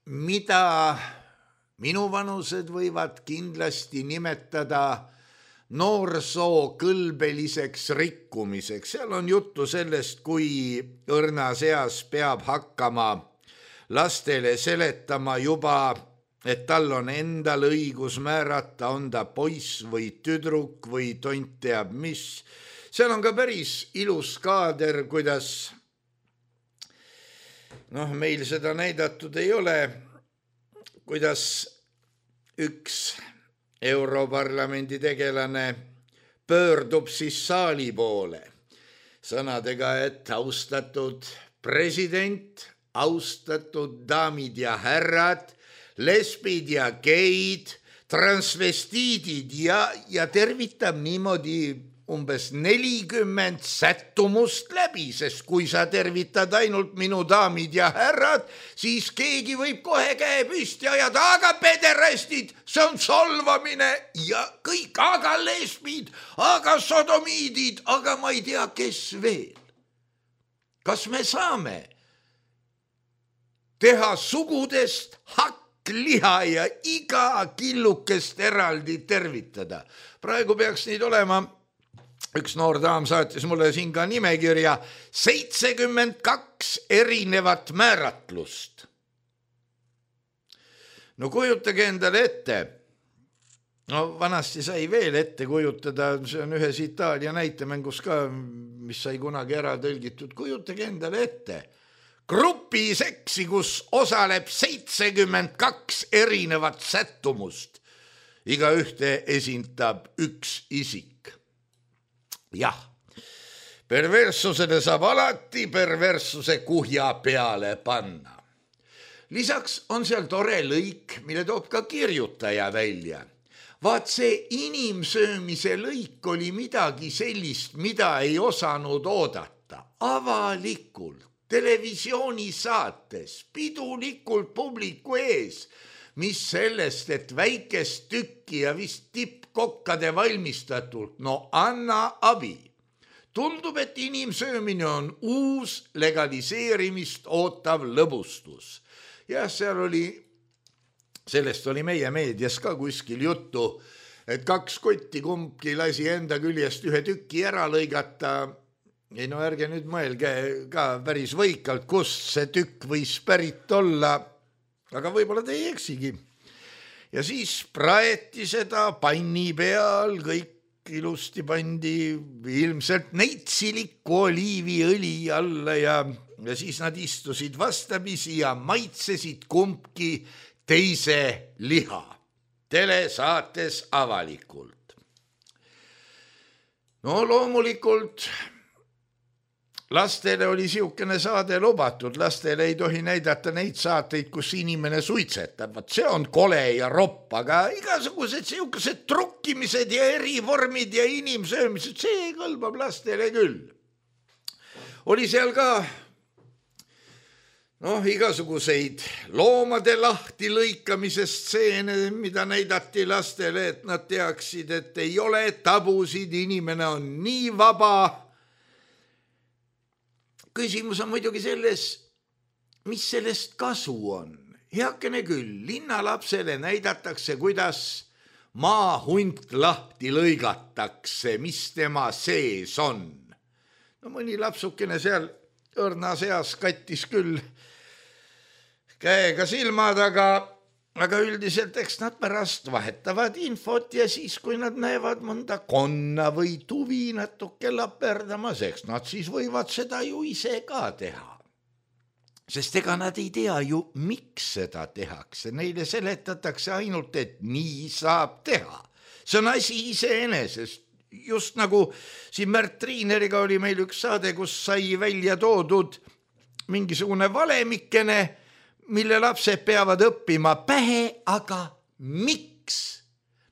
mida minuvanused võivad kindlasti nimetada noorsoo kõlbeliseks rikkumiseks. Seal on juttu sellest, kui õrnas eas peab hakkama lastele seletama juba, et tal on endal õigus määrata, on ta poiss või tüdruk või tont teab mis. Seal on ka päris ilus kaader, kuidas, noh, meil seda näidatud ei ole, kuidas üks Europarlamendi tegelane pöördub siis saali poole sõnadega, et austatud president, austatud daamid ja härrad, lesbid ja geid, transvestiidid ja, ja tervitab niimoodi umbes nelikümmend sättumust läbi, sest kui sa tervitad ainult minu daamid ja härrad, siis keegi võib kohe käe püsti ajada, aga pederastid, see on solvamine ja kõik, aga lesbid, aga sodomiidid, aga ma ei tea, kes veel. Kas me saame teha sugudest hakkliha ja iga killukest eraldi tervitada? Praegu peaks neid olema. Üks noor daam saatis mulle siin ka nimekirja seitsekümmend kaks erinevat määratlust. No kujutage endale ette, no vanasti sai veel ette kujutada, see on ühes Itaalia näitemängus ka, mis sai kunagi ära tõlgitud, kujutage endale ette, grupi seksi, kus osaleb seitsekümmend kaks erinevat sättumust, iga ühte esindab üks isik. Jah, perverssusele saab alati perverssuse kuhja peale panna. Lisaks on seal tore lõik, mille toob ka kirjutaja välja. Vaat see inimsöömise lõik oli midagi sellist, mida ei osanud oodata. Avalikult, televisioonisaates, pidulikult publiku ees, mis sellest, et väikest tükki ja vist tippkokkade valmistatult, no anna abi. Tundub, et inimsöömine on uus legaliseerimist ootav lõbustus. Ja seal oli, sellest oli meie meedias ka kuskil juttu, et kaks kotti kumbki lasi enda küljest ühe tükki ära lõigata. Ei no ärge nüüd mõelge ka päris võikalt, kust see tükk võis pärit olla, aga võib-olla te ei eksigi. Ja siis praeti seda panni peal, kõik ilusti pandi ilmselt neitsiliku oliiviõli alla ja, ja siis nad istusid vastamisi ja maitsesid kumbki teise liha. Telesaates avalikult. No loomulikult lastele oli siukene saade lubatud, lastele ei tohi näidata neid saateid, kus inimene suitsetab, see on kole ja ropp, aga igasugused siukesed trukkimised ja erivormid ja inimsöömised, see kõlbab lastele küll. Oli seal ka noh, igasuguseid loomade lahti lõikamise stseene, mida näidati lastele, et nad teaksid, et ei ole tabusid, inimene on nii vaba. Küsimus on muidugi selles, mis sellest kasu on. Heakene küll, linnalapsele näidatakse, kuidas maahunt lahti lõigatakse, mis tema sees on. No mõni lapsukene seal õrna seas kattis küll käega silmad, aga, aga üldiselt eks nad pärast vahetavad infot ja siis, kui nad näevad mõnda konna või tuvi natuke laperdamas, eks nad siis võivad seda ju ise ka teha. Sest ega nad ei tea ju, miks seda tehakse. Neile seletatakse ainult, et nii saab teha. See on asi iseenesest. Just nagu siin Märt Triineriga oli meil üks saade, kus sai välja toodud mingisugune valemikene, mille lapsed peavad õppima pähe, aga miks?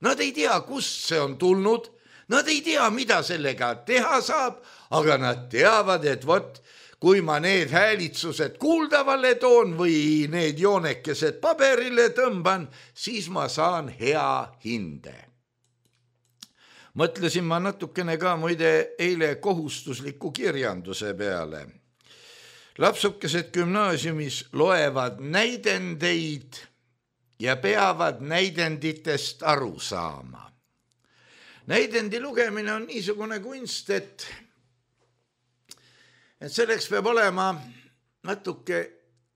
Nad ei tea, kust see on tulnud, nad ei tea, mida sellega teha saab, aga nad teavad, et vot, kui ma need häälitsused kuuldavale toon või need joonekesed paberile tõmban, siis ma saan hea hinde. Mõtlesin ma natukene ka muide eile kohustusliku kirjanduse peale. Lapsukesed gümnaasiumis loevad näidendeid ja peavad näidenditest aru saama. Näidendi lugemine on niisugune kunst, et et selleks peab olema natuke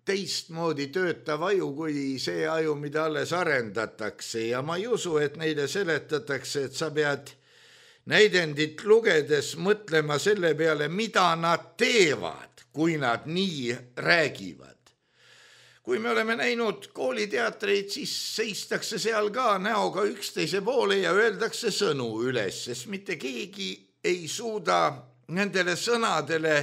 teistmoodi töötav aju kui see aju, mida alles arendatakse ja ma ei usu, et neile seletatakse, et sa pead näidendit lugedes mõtlema selle peale, mida nad teevad, kui nad nii räägivad. Kui me oleme näinud kooliteatreid, siis seistakse seal ka näoga üksteise poole ja öeldakse sõnu üles, sest mitte keegi ei suuda nendele sõnadele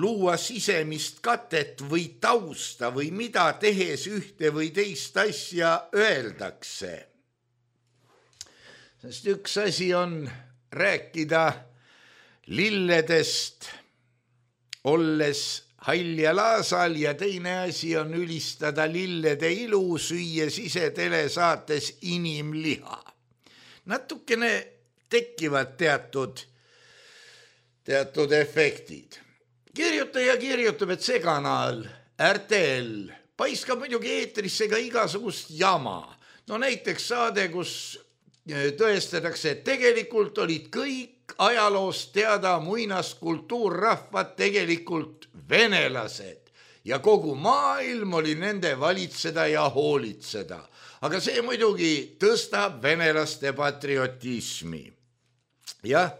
luua sisemist katet või tausta või mida tehes ühte või teist asja öeldakse. Sest üks asi on rääkida lilledest, olles hall ja laasal ja teine asi on ülistada lillede ilu, süües ise telesaates inimliha. Natukene tekivad teatud, teatud efektid. Kirjutaja kirjutab, et see kanal, R T L, paiskab muidugi eetrisse ka igasugust jama. No näiteks saade, kus tõestatakse, et tegelikult olid kõik ajaloost teada muinaskultuurrahvad tegelikult venelased ja kogu maailm oli nende valitseda ja hoolitseda. Aga see muidugi tõstab venelaste patriotismi. Jah,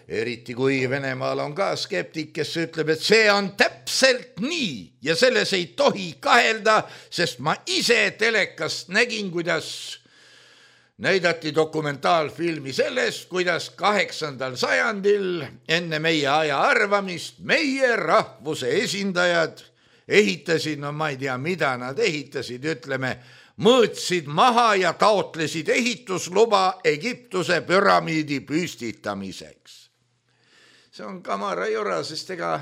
eriti kui Venemaal on ka skeptik, kes ütleb, et see on täpselt nii ja selles ei tohi kahelda, sest ma ise telekast nägin, kuidas näidati dokumentaalfilmi sellest, kuidas kaheksandal sajandil enne meie aja arvamist meie rahvuse esindajad ehitasid, no ma ei tea, mida nad ehitasid, ütleme, mõõtsid maha ja taotlesid ehitusluba Egiptuse püramiidi püstitamiseks. See on kamara jora, sest ega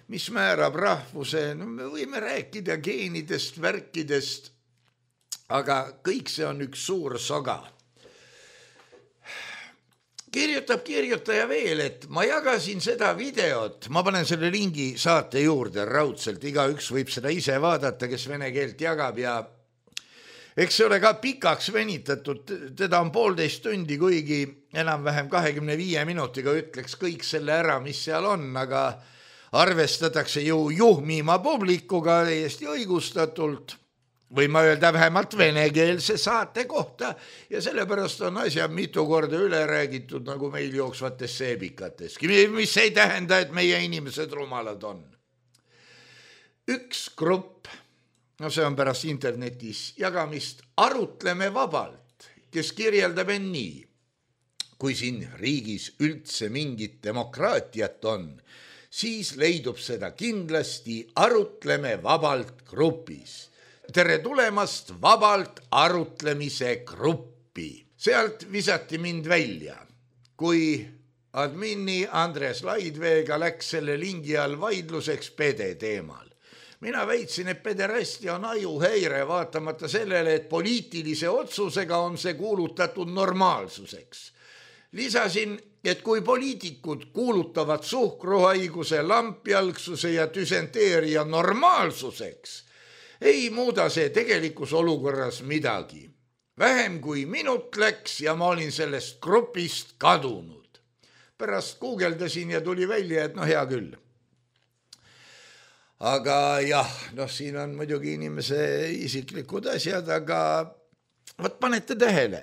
mis määrab rahvuse, no me võime rääkida geenidest, värkidest, aga kõik see on üks suur soga. Kirjutab kirjutaja veel, et ma jagasin seda videot, ma panen selle lingi saate juurde raudselt, igaüks võib seda ise vaadata, kes vene keelt jagab ja eks see ole ka pikaks venitatud, teda on poolteist tundi, kuigi enam-vähem kahekümne viie minutiga ütleks kõik selle ära, mis seal on, aga arvestatakse ju juhmima publikuga täiesti õigustatult, või ma öelda vähemalt venekeelse saate kohta ja sellepärast on asja mitu korda üle räägitud nagu meil jooksvates seebikateski, mis ei tähenda, et meie inimesed rumalad on. Üks grupp, no see on pärast internetis jagamist, arutleme vabalt, kes kirjeldab end nii. Kui siin riigis üldse mingit demokraatiat on, siis leidub seda kindlasti arutleme vabalt grupis. Tere tulemast vabalt arutlemise gruppi. Sealt visati mind välja, kui admini Andres Laidveega läks selle lingi all vaidluseks pede teemal. mina väitsin, et pederastia on ajuhäire, vaatamata sellele, et poliitilise otsusega on see kuulutatud normaalsuseks. Lisasin, et kui poliitikud kuulutavad suhkruhaiguse, lampjalgsuse ja düsenteeria normaalsuseks, ei muuda see tegelikus olukorras midagi. Vähem kui minut läks ja ma olin sellest grupist kadunud. Pärast guugeldasin ja tuli välja, et no hea küll. Aga jah, noh siin on muidugi inimese isiklikud asjad, aga võt panete tähele.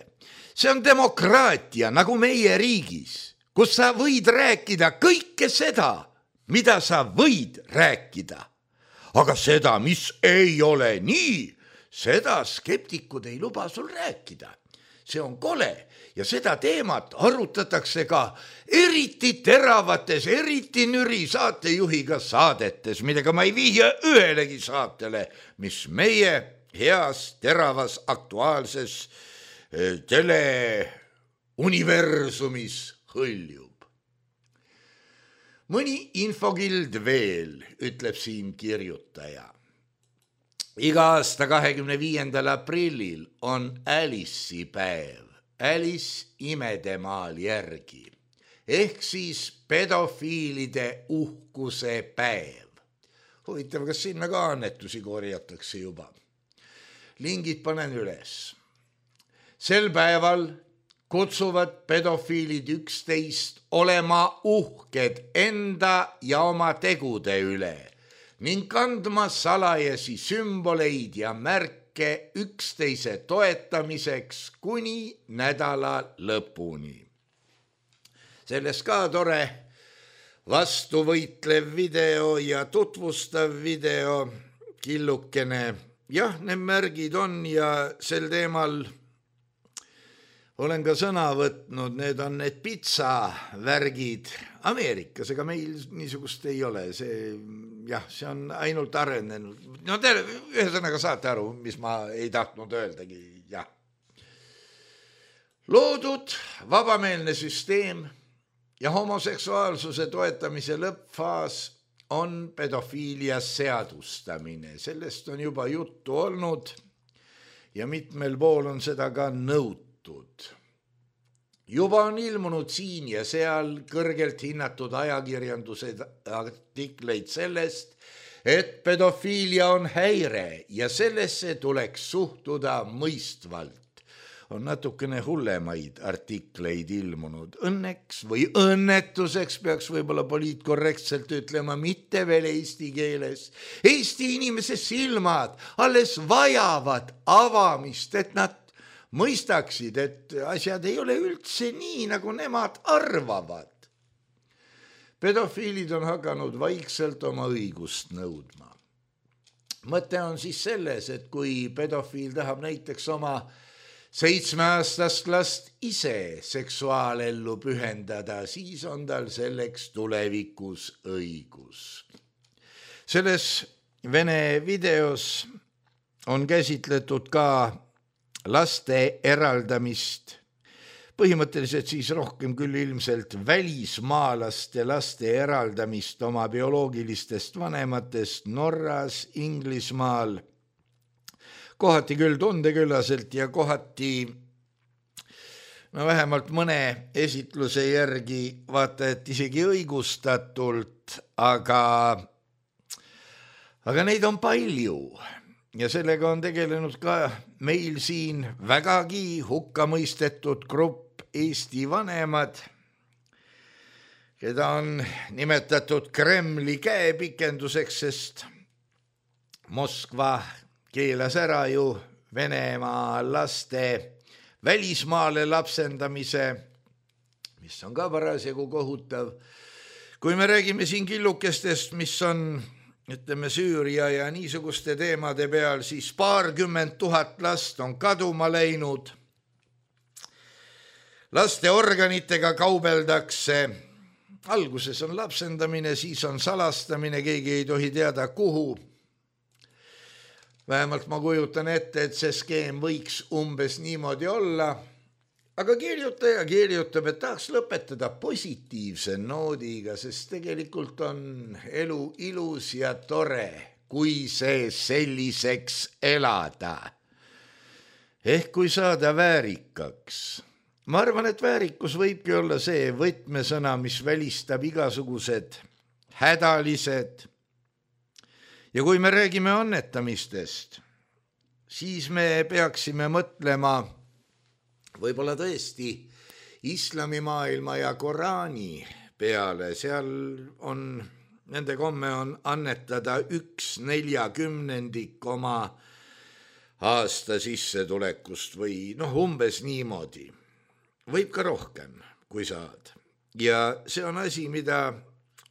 See on demokraatia nagu meie riigis, kus sa võid rääkida kõike seda, mida sa võid rääkida. Aga seda, mis ei ole nii, seda skeptikud ei luba sul rääkida. See on kole ja seda teemat arutatakse ka eriti teravates, eriti nüri saatejuhiga saadetes, millega ma ei vihja ühelegi saatele, mis meie heas, teravas, aktuaalses teleuniversumis hõljub. Mõni infokild veel, ütleb siin kirjutaja. Iga aasta kahekümne viiendal aprillil on Alice'i päev, Alice imedemaal järgi, ehk siis pedofiilide uhkuse päev. Huvitav, kas sinna ka annetusi korjatakse juba? Lingid panen üles. Sel päeval kutsuvad pedofiilid üksteist olema uhked enda ja oma tegude üle ning kandma salajasi sümboleid ja märke üksteise toetamiseks kuni nädala lõpuni. Sellest ka tore vastuvõitlev video ja tutvustav video, killukene. Jah, need märgid on ja sel teemal olen ka sõna võtnud, need on need pizzavärgid Ameerikas, ega meil niisugust ei ole, see, jah, see on ainult arenenud. No te ühesõnaga saate aru, mis ma ei tahtnud öeldagi, jah. Loodud vabameelne süsteem ja homoseksuaalsuse toetamise lõppfaas on pedofiilia seadustamine. Sellest on juba juttu olnud ja mitmel pool on seda ka nõutud. Juba on ilmunud siin ja seal kõrgelt hinnatud ajakirjanduse artikleid sellest, et pedofiilia on häire ja sellesse tuleks suhtuda mõistvalt. On natukene hullemaid artikleid ilmunud. Õnneks või õnnetuseks peaks võib-olla poliitkorrektselt ütlema mitte veel eesti keeles. Eesti inimese silmad alles vajavad avamist, et nad mõistaksid, et asjad ei ole üldse nii, nagu nemad arvavad. Pedofiilid on hakanud vaikselt oma õigust nõudma. Mõte on siis selles, et kui pedofiil tahab näiteks oma seitsmeaastast last ise seksuaalellu pühendada, siis on tal selleks tulevikus õigus. Selles Vene videos on käsitletud ka laste eraldamist, põhimõtteliselt siis rohkem küll ilmselt välismaalaste laste eraldamist oma bioloogilistest vanematest Norras, Inglismaal, kohati küll tundeküllaselt ja kohati no vähemalt mõne esitluse järgi vaata, et isegi õigustatult, aga, aga neid on palju. Ja sellega on tegelenud ka meil siin vägagi hukka mõistetud grupp Eesti vanemad, keda on nimetatud Kremli käepikenduseks, sest Moskva keelas ära ju Venemaa laste välismaale lapsendamise, mis on ka parasjagu kohutav. Kui me räägime siin killukestest, mis on ütleme Süüria ja niisuguste teemade peal, siis paarkümmend tuhat last on kaduma läinud. Laste organitega kaubeldakse. Alguses on lapsendamine, siis on salastamine, keegi ei tohi teada kuhu. Vähemalt ma kujutan ette, et see skeem võiks umbes niimoodi olla. Aga kirjutaja kirjutab, et tahaks lõpetada positiivse noodiga, sest tegelikult on elu ilus ja tore, kui see selliseks elada. Ehk kui saada väärikaks. Ma arvan, et väärikus võibki olla see võtmesõna, mis välistab igasugused hädalised. Ja kui me räägime annetamistest, siis me peaksime mõtlema võib-olla tõesti islamimaailma ja Koraani peale. Seal on, nende komme on annetada üks neljakümnendik oma aasta sissetulekust või noh, umbes niimoodi. Võib ka rohkem, kui saad. Ja see on asi, mida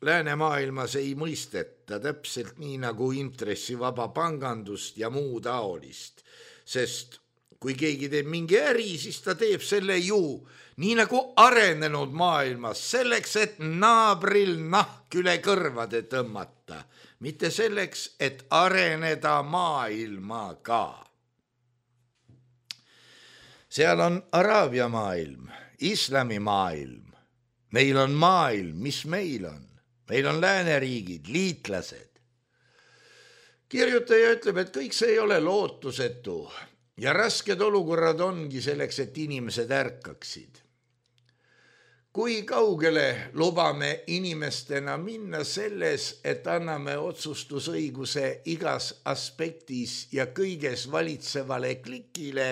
läänemaailmas ei mõisteta täpselt nii nagu intressivaba pangandust ja muu taolist. Sest kui keegi teeb mingi äri, siis ta teeb selle ju nii nagu arenenud maailmas, selleks, et naabril nahk üle kõrvade tõmmata, mitte selleks, et areneda maailmaga. Seal on Araabia maailm, islami maailm. Meil on maailm, mis meil on. Meil on lääneriigid, liitlased. Kirjutaja ütleb, et kõik see ei ole lootusetu ja rasked olukorrad ongi selleks, et inimesed ärkaksid. Kui kaugele lubame inimestena minna selles, et anname otsustusõiguse igas aspektis ja kõiges valitsevale klikile,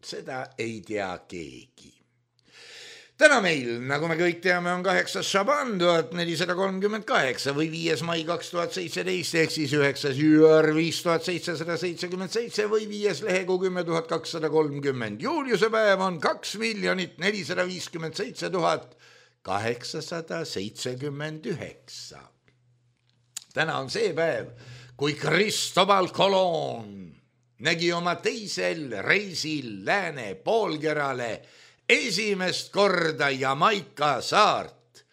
seda ei tea keegi. Täna meil, nagu me kõik teame, on kaheksas Šaban tuhat nelisada kolmkümmend kaheksa või viies mai kaks tuhat seitseteist, ehk siis üheksas juur viis tuhat seitsesada seitsekümmend seitse või viies lehekuu kümme tuhat kakssada kolmkümmend. Juuliuse päev on kaks miljonit nelisada viiskümmend seitse tuhat kaheksasada seitsekümmend üheksa. Täna on see päev, kui Cristobal Colon nägi oma teisel reisil lääne poolkerale esimest korda Jamaika saart,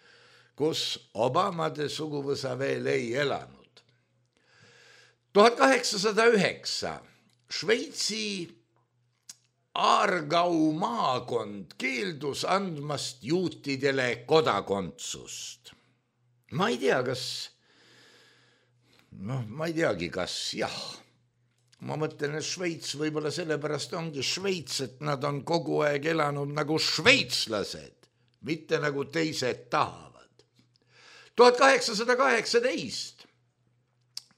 kus Obamade suguvõsa veel ei elanud. tuhat kaheksasada üheksa Šveitsi Aargau maakond keeldus andmast juutidele kodakondsust. Ma ei tea, kas, noh, ma ei teagi, kas jah. Ma mõtlen, et Šveits võib-olla sellepärast ongi Šveits, et nad on kogu aeg elanud nagu šveitslased, mitte nagu teised tahavad. tuhat kaheksasada kaheksateist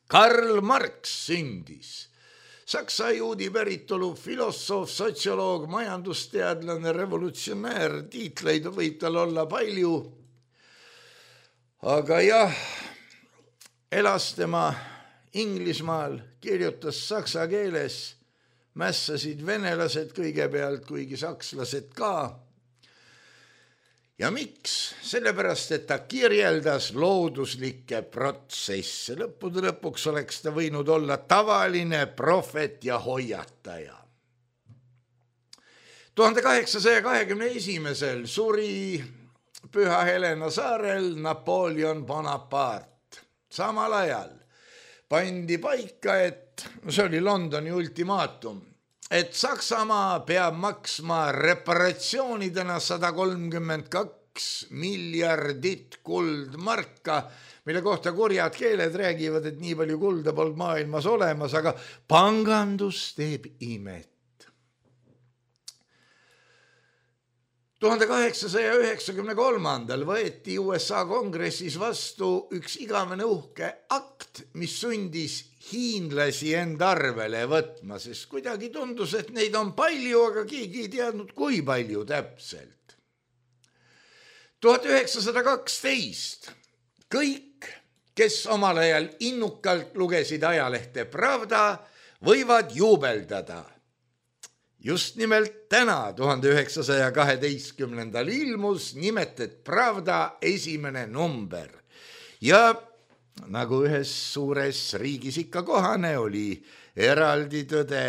Karl Marx sündis. Saksa juudi päritolu filosoof, sotsioloog, majandusteadlane, revolutsionäär, tiitleid võib tal olla palju. Aga jah, elas tema Inglismaal, kirjutas saksa keeles, mässasid venelased kõigepealt, kuigi sakslased ka. Ja miks? Sellepärast, et ta kirjeldas looduslikke protsesse. Lõppude lõpuks oleks ta võinud olla tavaline profet ja hoiataja. tuhande kaheksasaja kahekümne esimesel suri Püha Helena saarel Napoleon Bonaparte. Samal ajal pandi paika, et see oli Londoni ultimaatum, et Saksamaa peab maksma reparatsioonidena sada kolmkümmend kaks miljardit kuldmarka, mille kohta kurjad keeled räägivad, et nii palju kulda polnud maailmas olemas, aga pangandus teeb imet. tuhande kaheksasaja üheksakümne kolmandal võeti U S A kongressis vastu üks igavene uhke akt, mis sundis hiinlasi enda arvele võtma, sest kuidagi tundus, et neid on palju, aga keegi ei teadnud, kui palju täpselt. tuhat üheksasada kaksteist kõik, kes omal ajal innukalt lugesid ajalehte Pravda, võivad juubeldada. Just nimelt täna, tuhande üheksasaja kaheteistkümnendal ilmus nimetet Pravda esimene number. Ja nagu ühes suures riigis ikka kohane oli eraldi tõde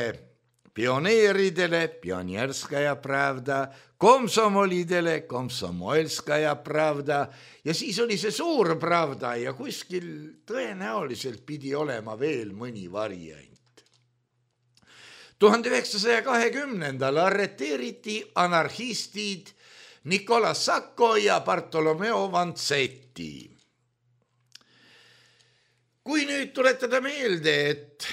pioneeridele, Pionierskaja Pravda, komsomolidele, Komsomolskaja Pravda ja siis oli see suur Pravda ja kuskil tõenäoliselt pidi olema veel mõni variant. tuhande üheksasaja kahekümnendal arreteeriti anarhistid Nicola Sacco ja Bartolomeo Vanzetti. kui nüüd tuletada meelde, et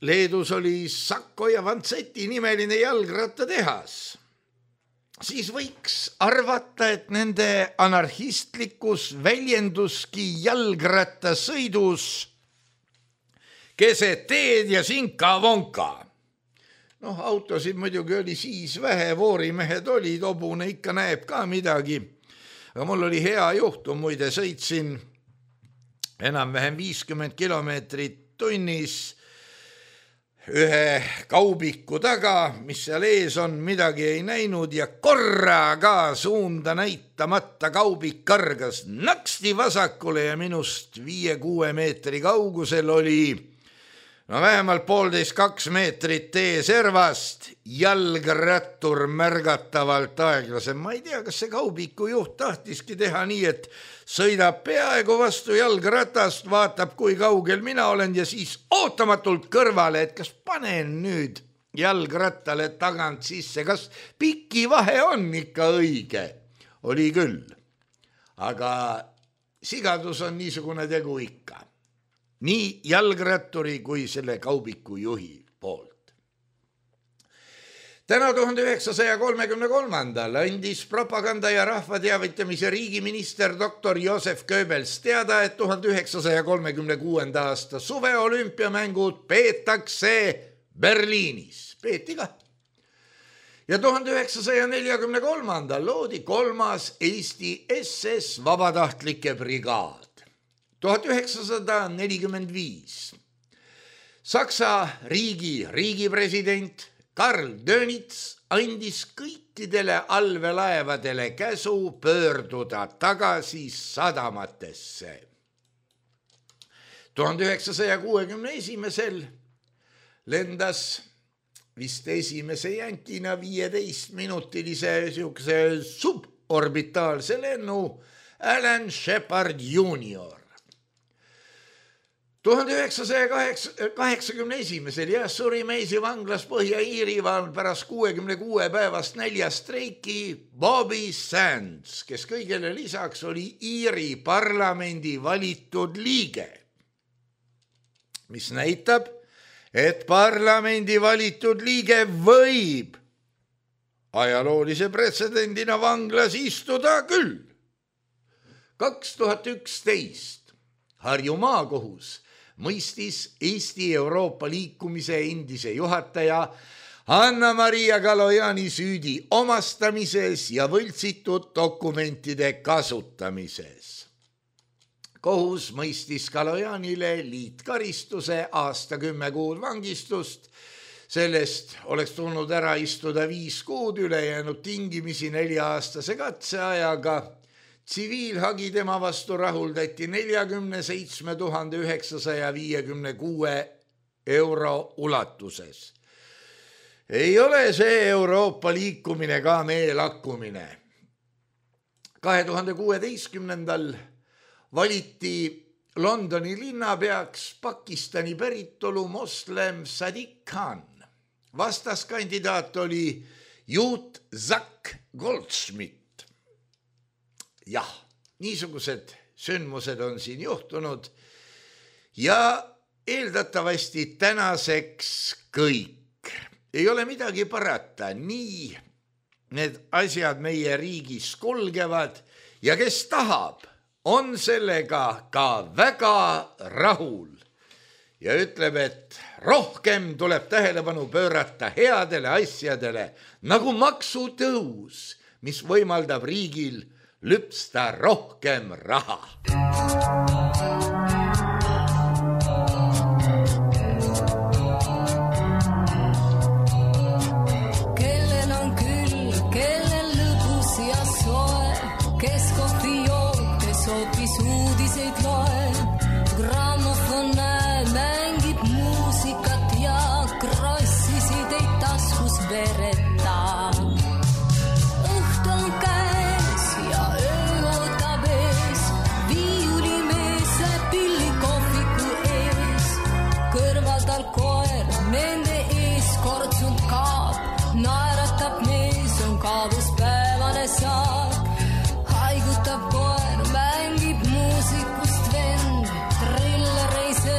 Leedus oli Sakko ja Vantseti nimeline jalgrattatehas, siis võiks arvata, et nende anarhistlikus väljenduski jalgrattasõidus keset teed ja sinka-vonka. Noh, autosid muidugi oli siis vähe, voorimehed olid, hobune ikka näeb ka midagi. Aga mul oli hea juhtum, muide sõitsin enam-vähem viiskümmend kilomeetrit tunnis ühe kaubiku taga, mis seal ees on, midagi ei näinud ja korraga suunda näitamata kaubik kargas naksti vasakule ja minust viie-kuue meetri kaugusel oli no vähemalt poolteist kaks meetrit tee servast, jalgrattur märgatavalt aeglasem. Ma ei tea, kas see kaubiku juht tahtiski teha nii, et sõidab peaaegu vastu jalgratast, vaatab, kui kaugel mina olen ja siis ootamatult kõrvale, et kas panen nüüd jalgrattale tagant sisse, kas piki vahe on ikka õige. Oli küll, aga sigadus on niisugune tegu ikka. Nii jalgratturi kui selle kaubiku juhi poolt. Täna tuhande üheksasaja kolmekümne kolmandal andis propaganda ja rahvateavitamise riigiminister doktor Josef Goebbels teada, et tuhande üheksasaja kolmekümne kuuenda aasta suveolümpiamängud peetakse Berliinis. Peeti ka. Ja tuhande üheksasaja neljakümne kolmandal loodi kolmas Eesti S S vabatahtlike brigaad. tuhat üheksasada nelikümmend viis. Saksa riigi riigipresident Karl Dönitz andis kõikidele allveelaevadele käsu pöörduda tagasi sadamatesse. tuhande üheksasaja kuuekümne esimesel lendas vist esimese jänkina viieteist minutilise siukse suborbitaalse lennu Alan Shepard junior tuhande üheksasaja kaheksakümne esimesel ja suri Meisi vanglas Põhja-Iirimaal pärast kuuekümne kuue päevast näljastreiki Bobby Sands, kes kõigele lisaks oli Iiri parlamendi valitud liige, mis näitab, et parlamendi valitud liige võib ajaloolise pretsedendina vanglas istuda küll. kaks tuhat üksteist Harju maakohus mõistis Eesti Euroopa liikumise endise juhataja Anna-Maria Kalojani süüdi omastamises ja võltsitud dokumentide kasutamises. Kohus mõistis Kalojanile liitkaristuse aasta kümme kuud vangistust. Sellest oleks tulnud ära istuda viis kuud, ülejäänud tingimisi nelja-aastase katseajaga. Tsiviilhagi tema vastu rahuldati neljakümne seitsme tuhande üheksasaja viiekümne kuue euro ulatuses. Ei ole see Euroopa liikumine ka meie lakkumine. kahe tuhande kuueteistkümnendal valiti Londoni linnapeaks Pakistani päritolu moslem Sadiq Khan. Vastaskandidaat oli Juut Zak Goldschmidt. Jah, niisugused sündmused on siin juhtunud ja eeldatavasti tänaseks kõik. Ei ole midagi parata, nii need asjad meie riigis kulgevad ja kes tahab, on sellega ka väga rahul ja ütleb, et rohkem tuleb tähelepanu pöörata headele asjadele nagu maksutõus, mis võimaldab riigil lüpsta rohkem raha. Kellel on küll, kellel lõbus ja soe, kes kohvi joob, kes hoopis uudiseid loeb. Grammofon näeb, mängib muusikat ja krossisid ei taskus vereta. Nende ees kortsunud kaab, naeratab mees, on kaabuspäevane saak. Haigutab koer, mängib muusikust vend, trillereise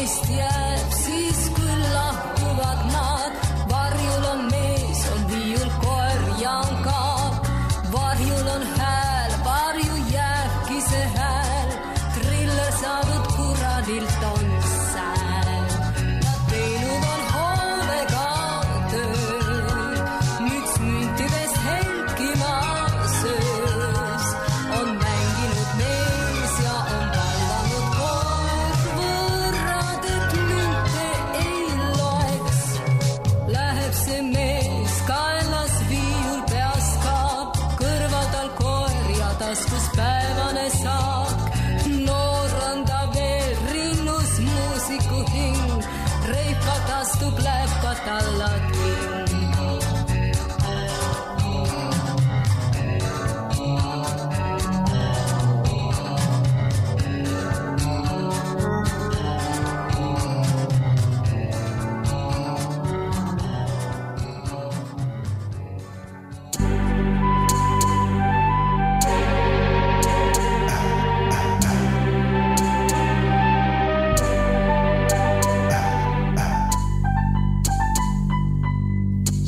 meist jääb, siis küll lahkuvad nad. Varjul on mees, on viiul, koer ja on kaab. Varjul on hääl, varju jääbki see hääl. Triller saadud kuradilt on sääl. Nad teinud on hoovega tööl, müts müntidest helkima söös. On mänginud mees ja on vallanud koer. Võrrad, et münte ei loeks. Läheb see mees, kaelas viiul peas kaab. Kõrval tal koer ja taskus päevane saak. Noor on ta veel, rinnus muusiku hing. Reipat astub läpad alla ting.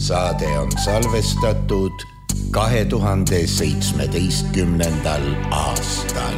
Saade on salvestatud kahe tuhande seitsmeteistkümnendal aastal.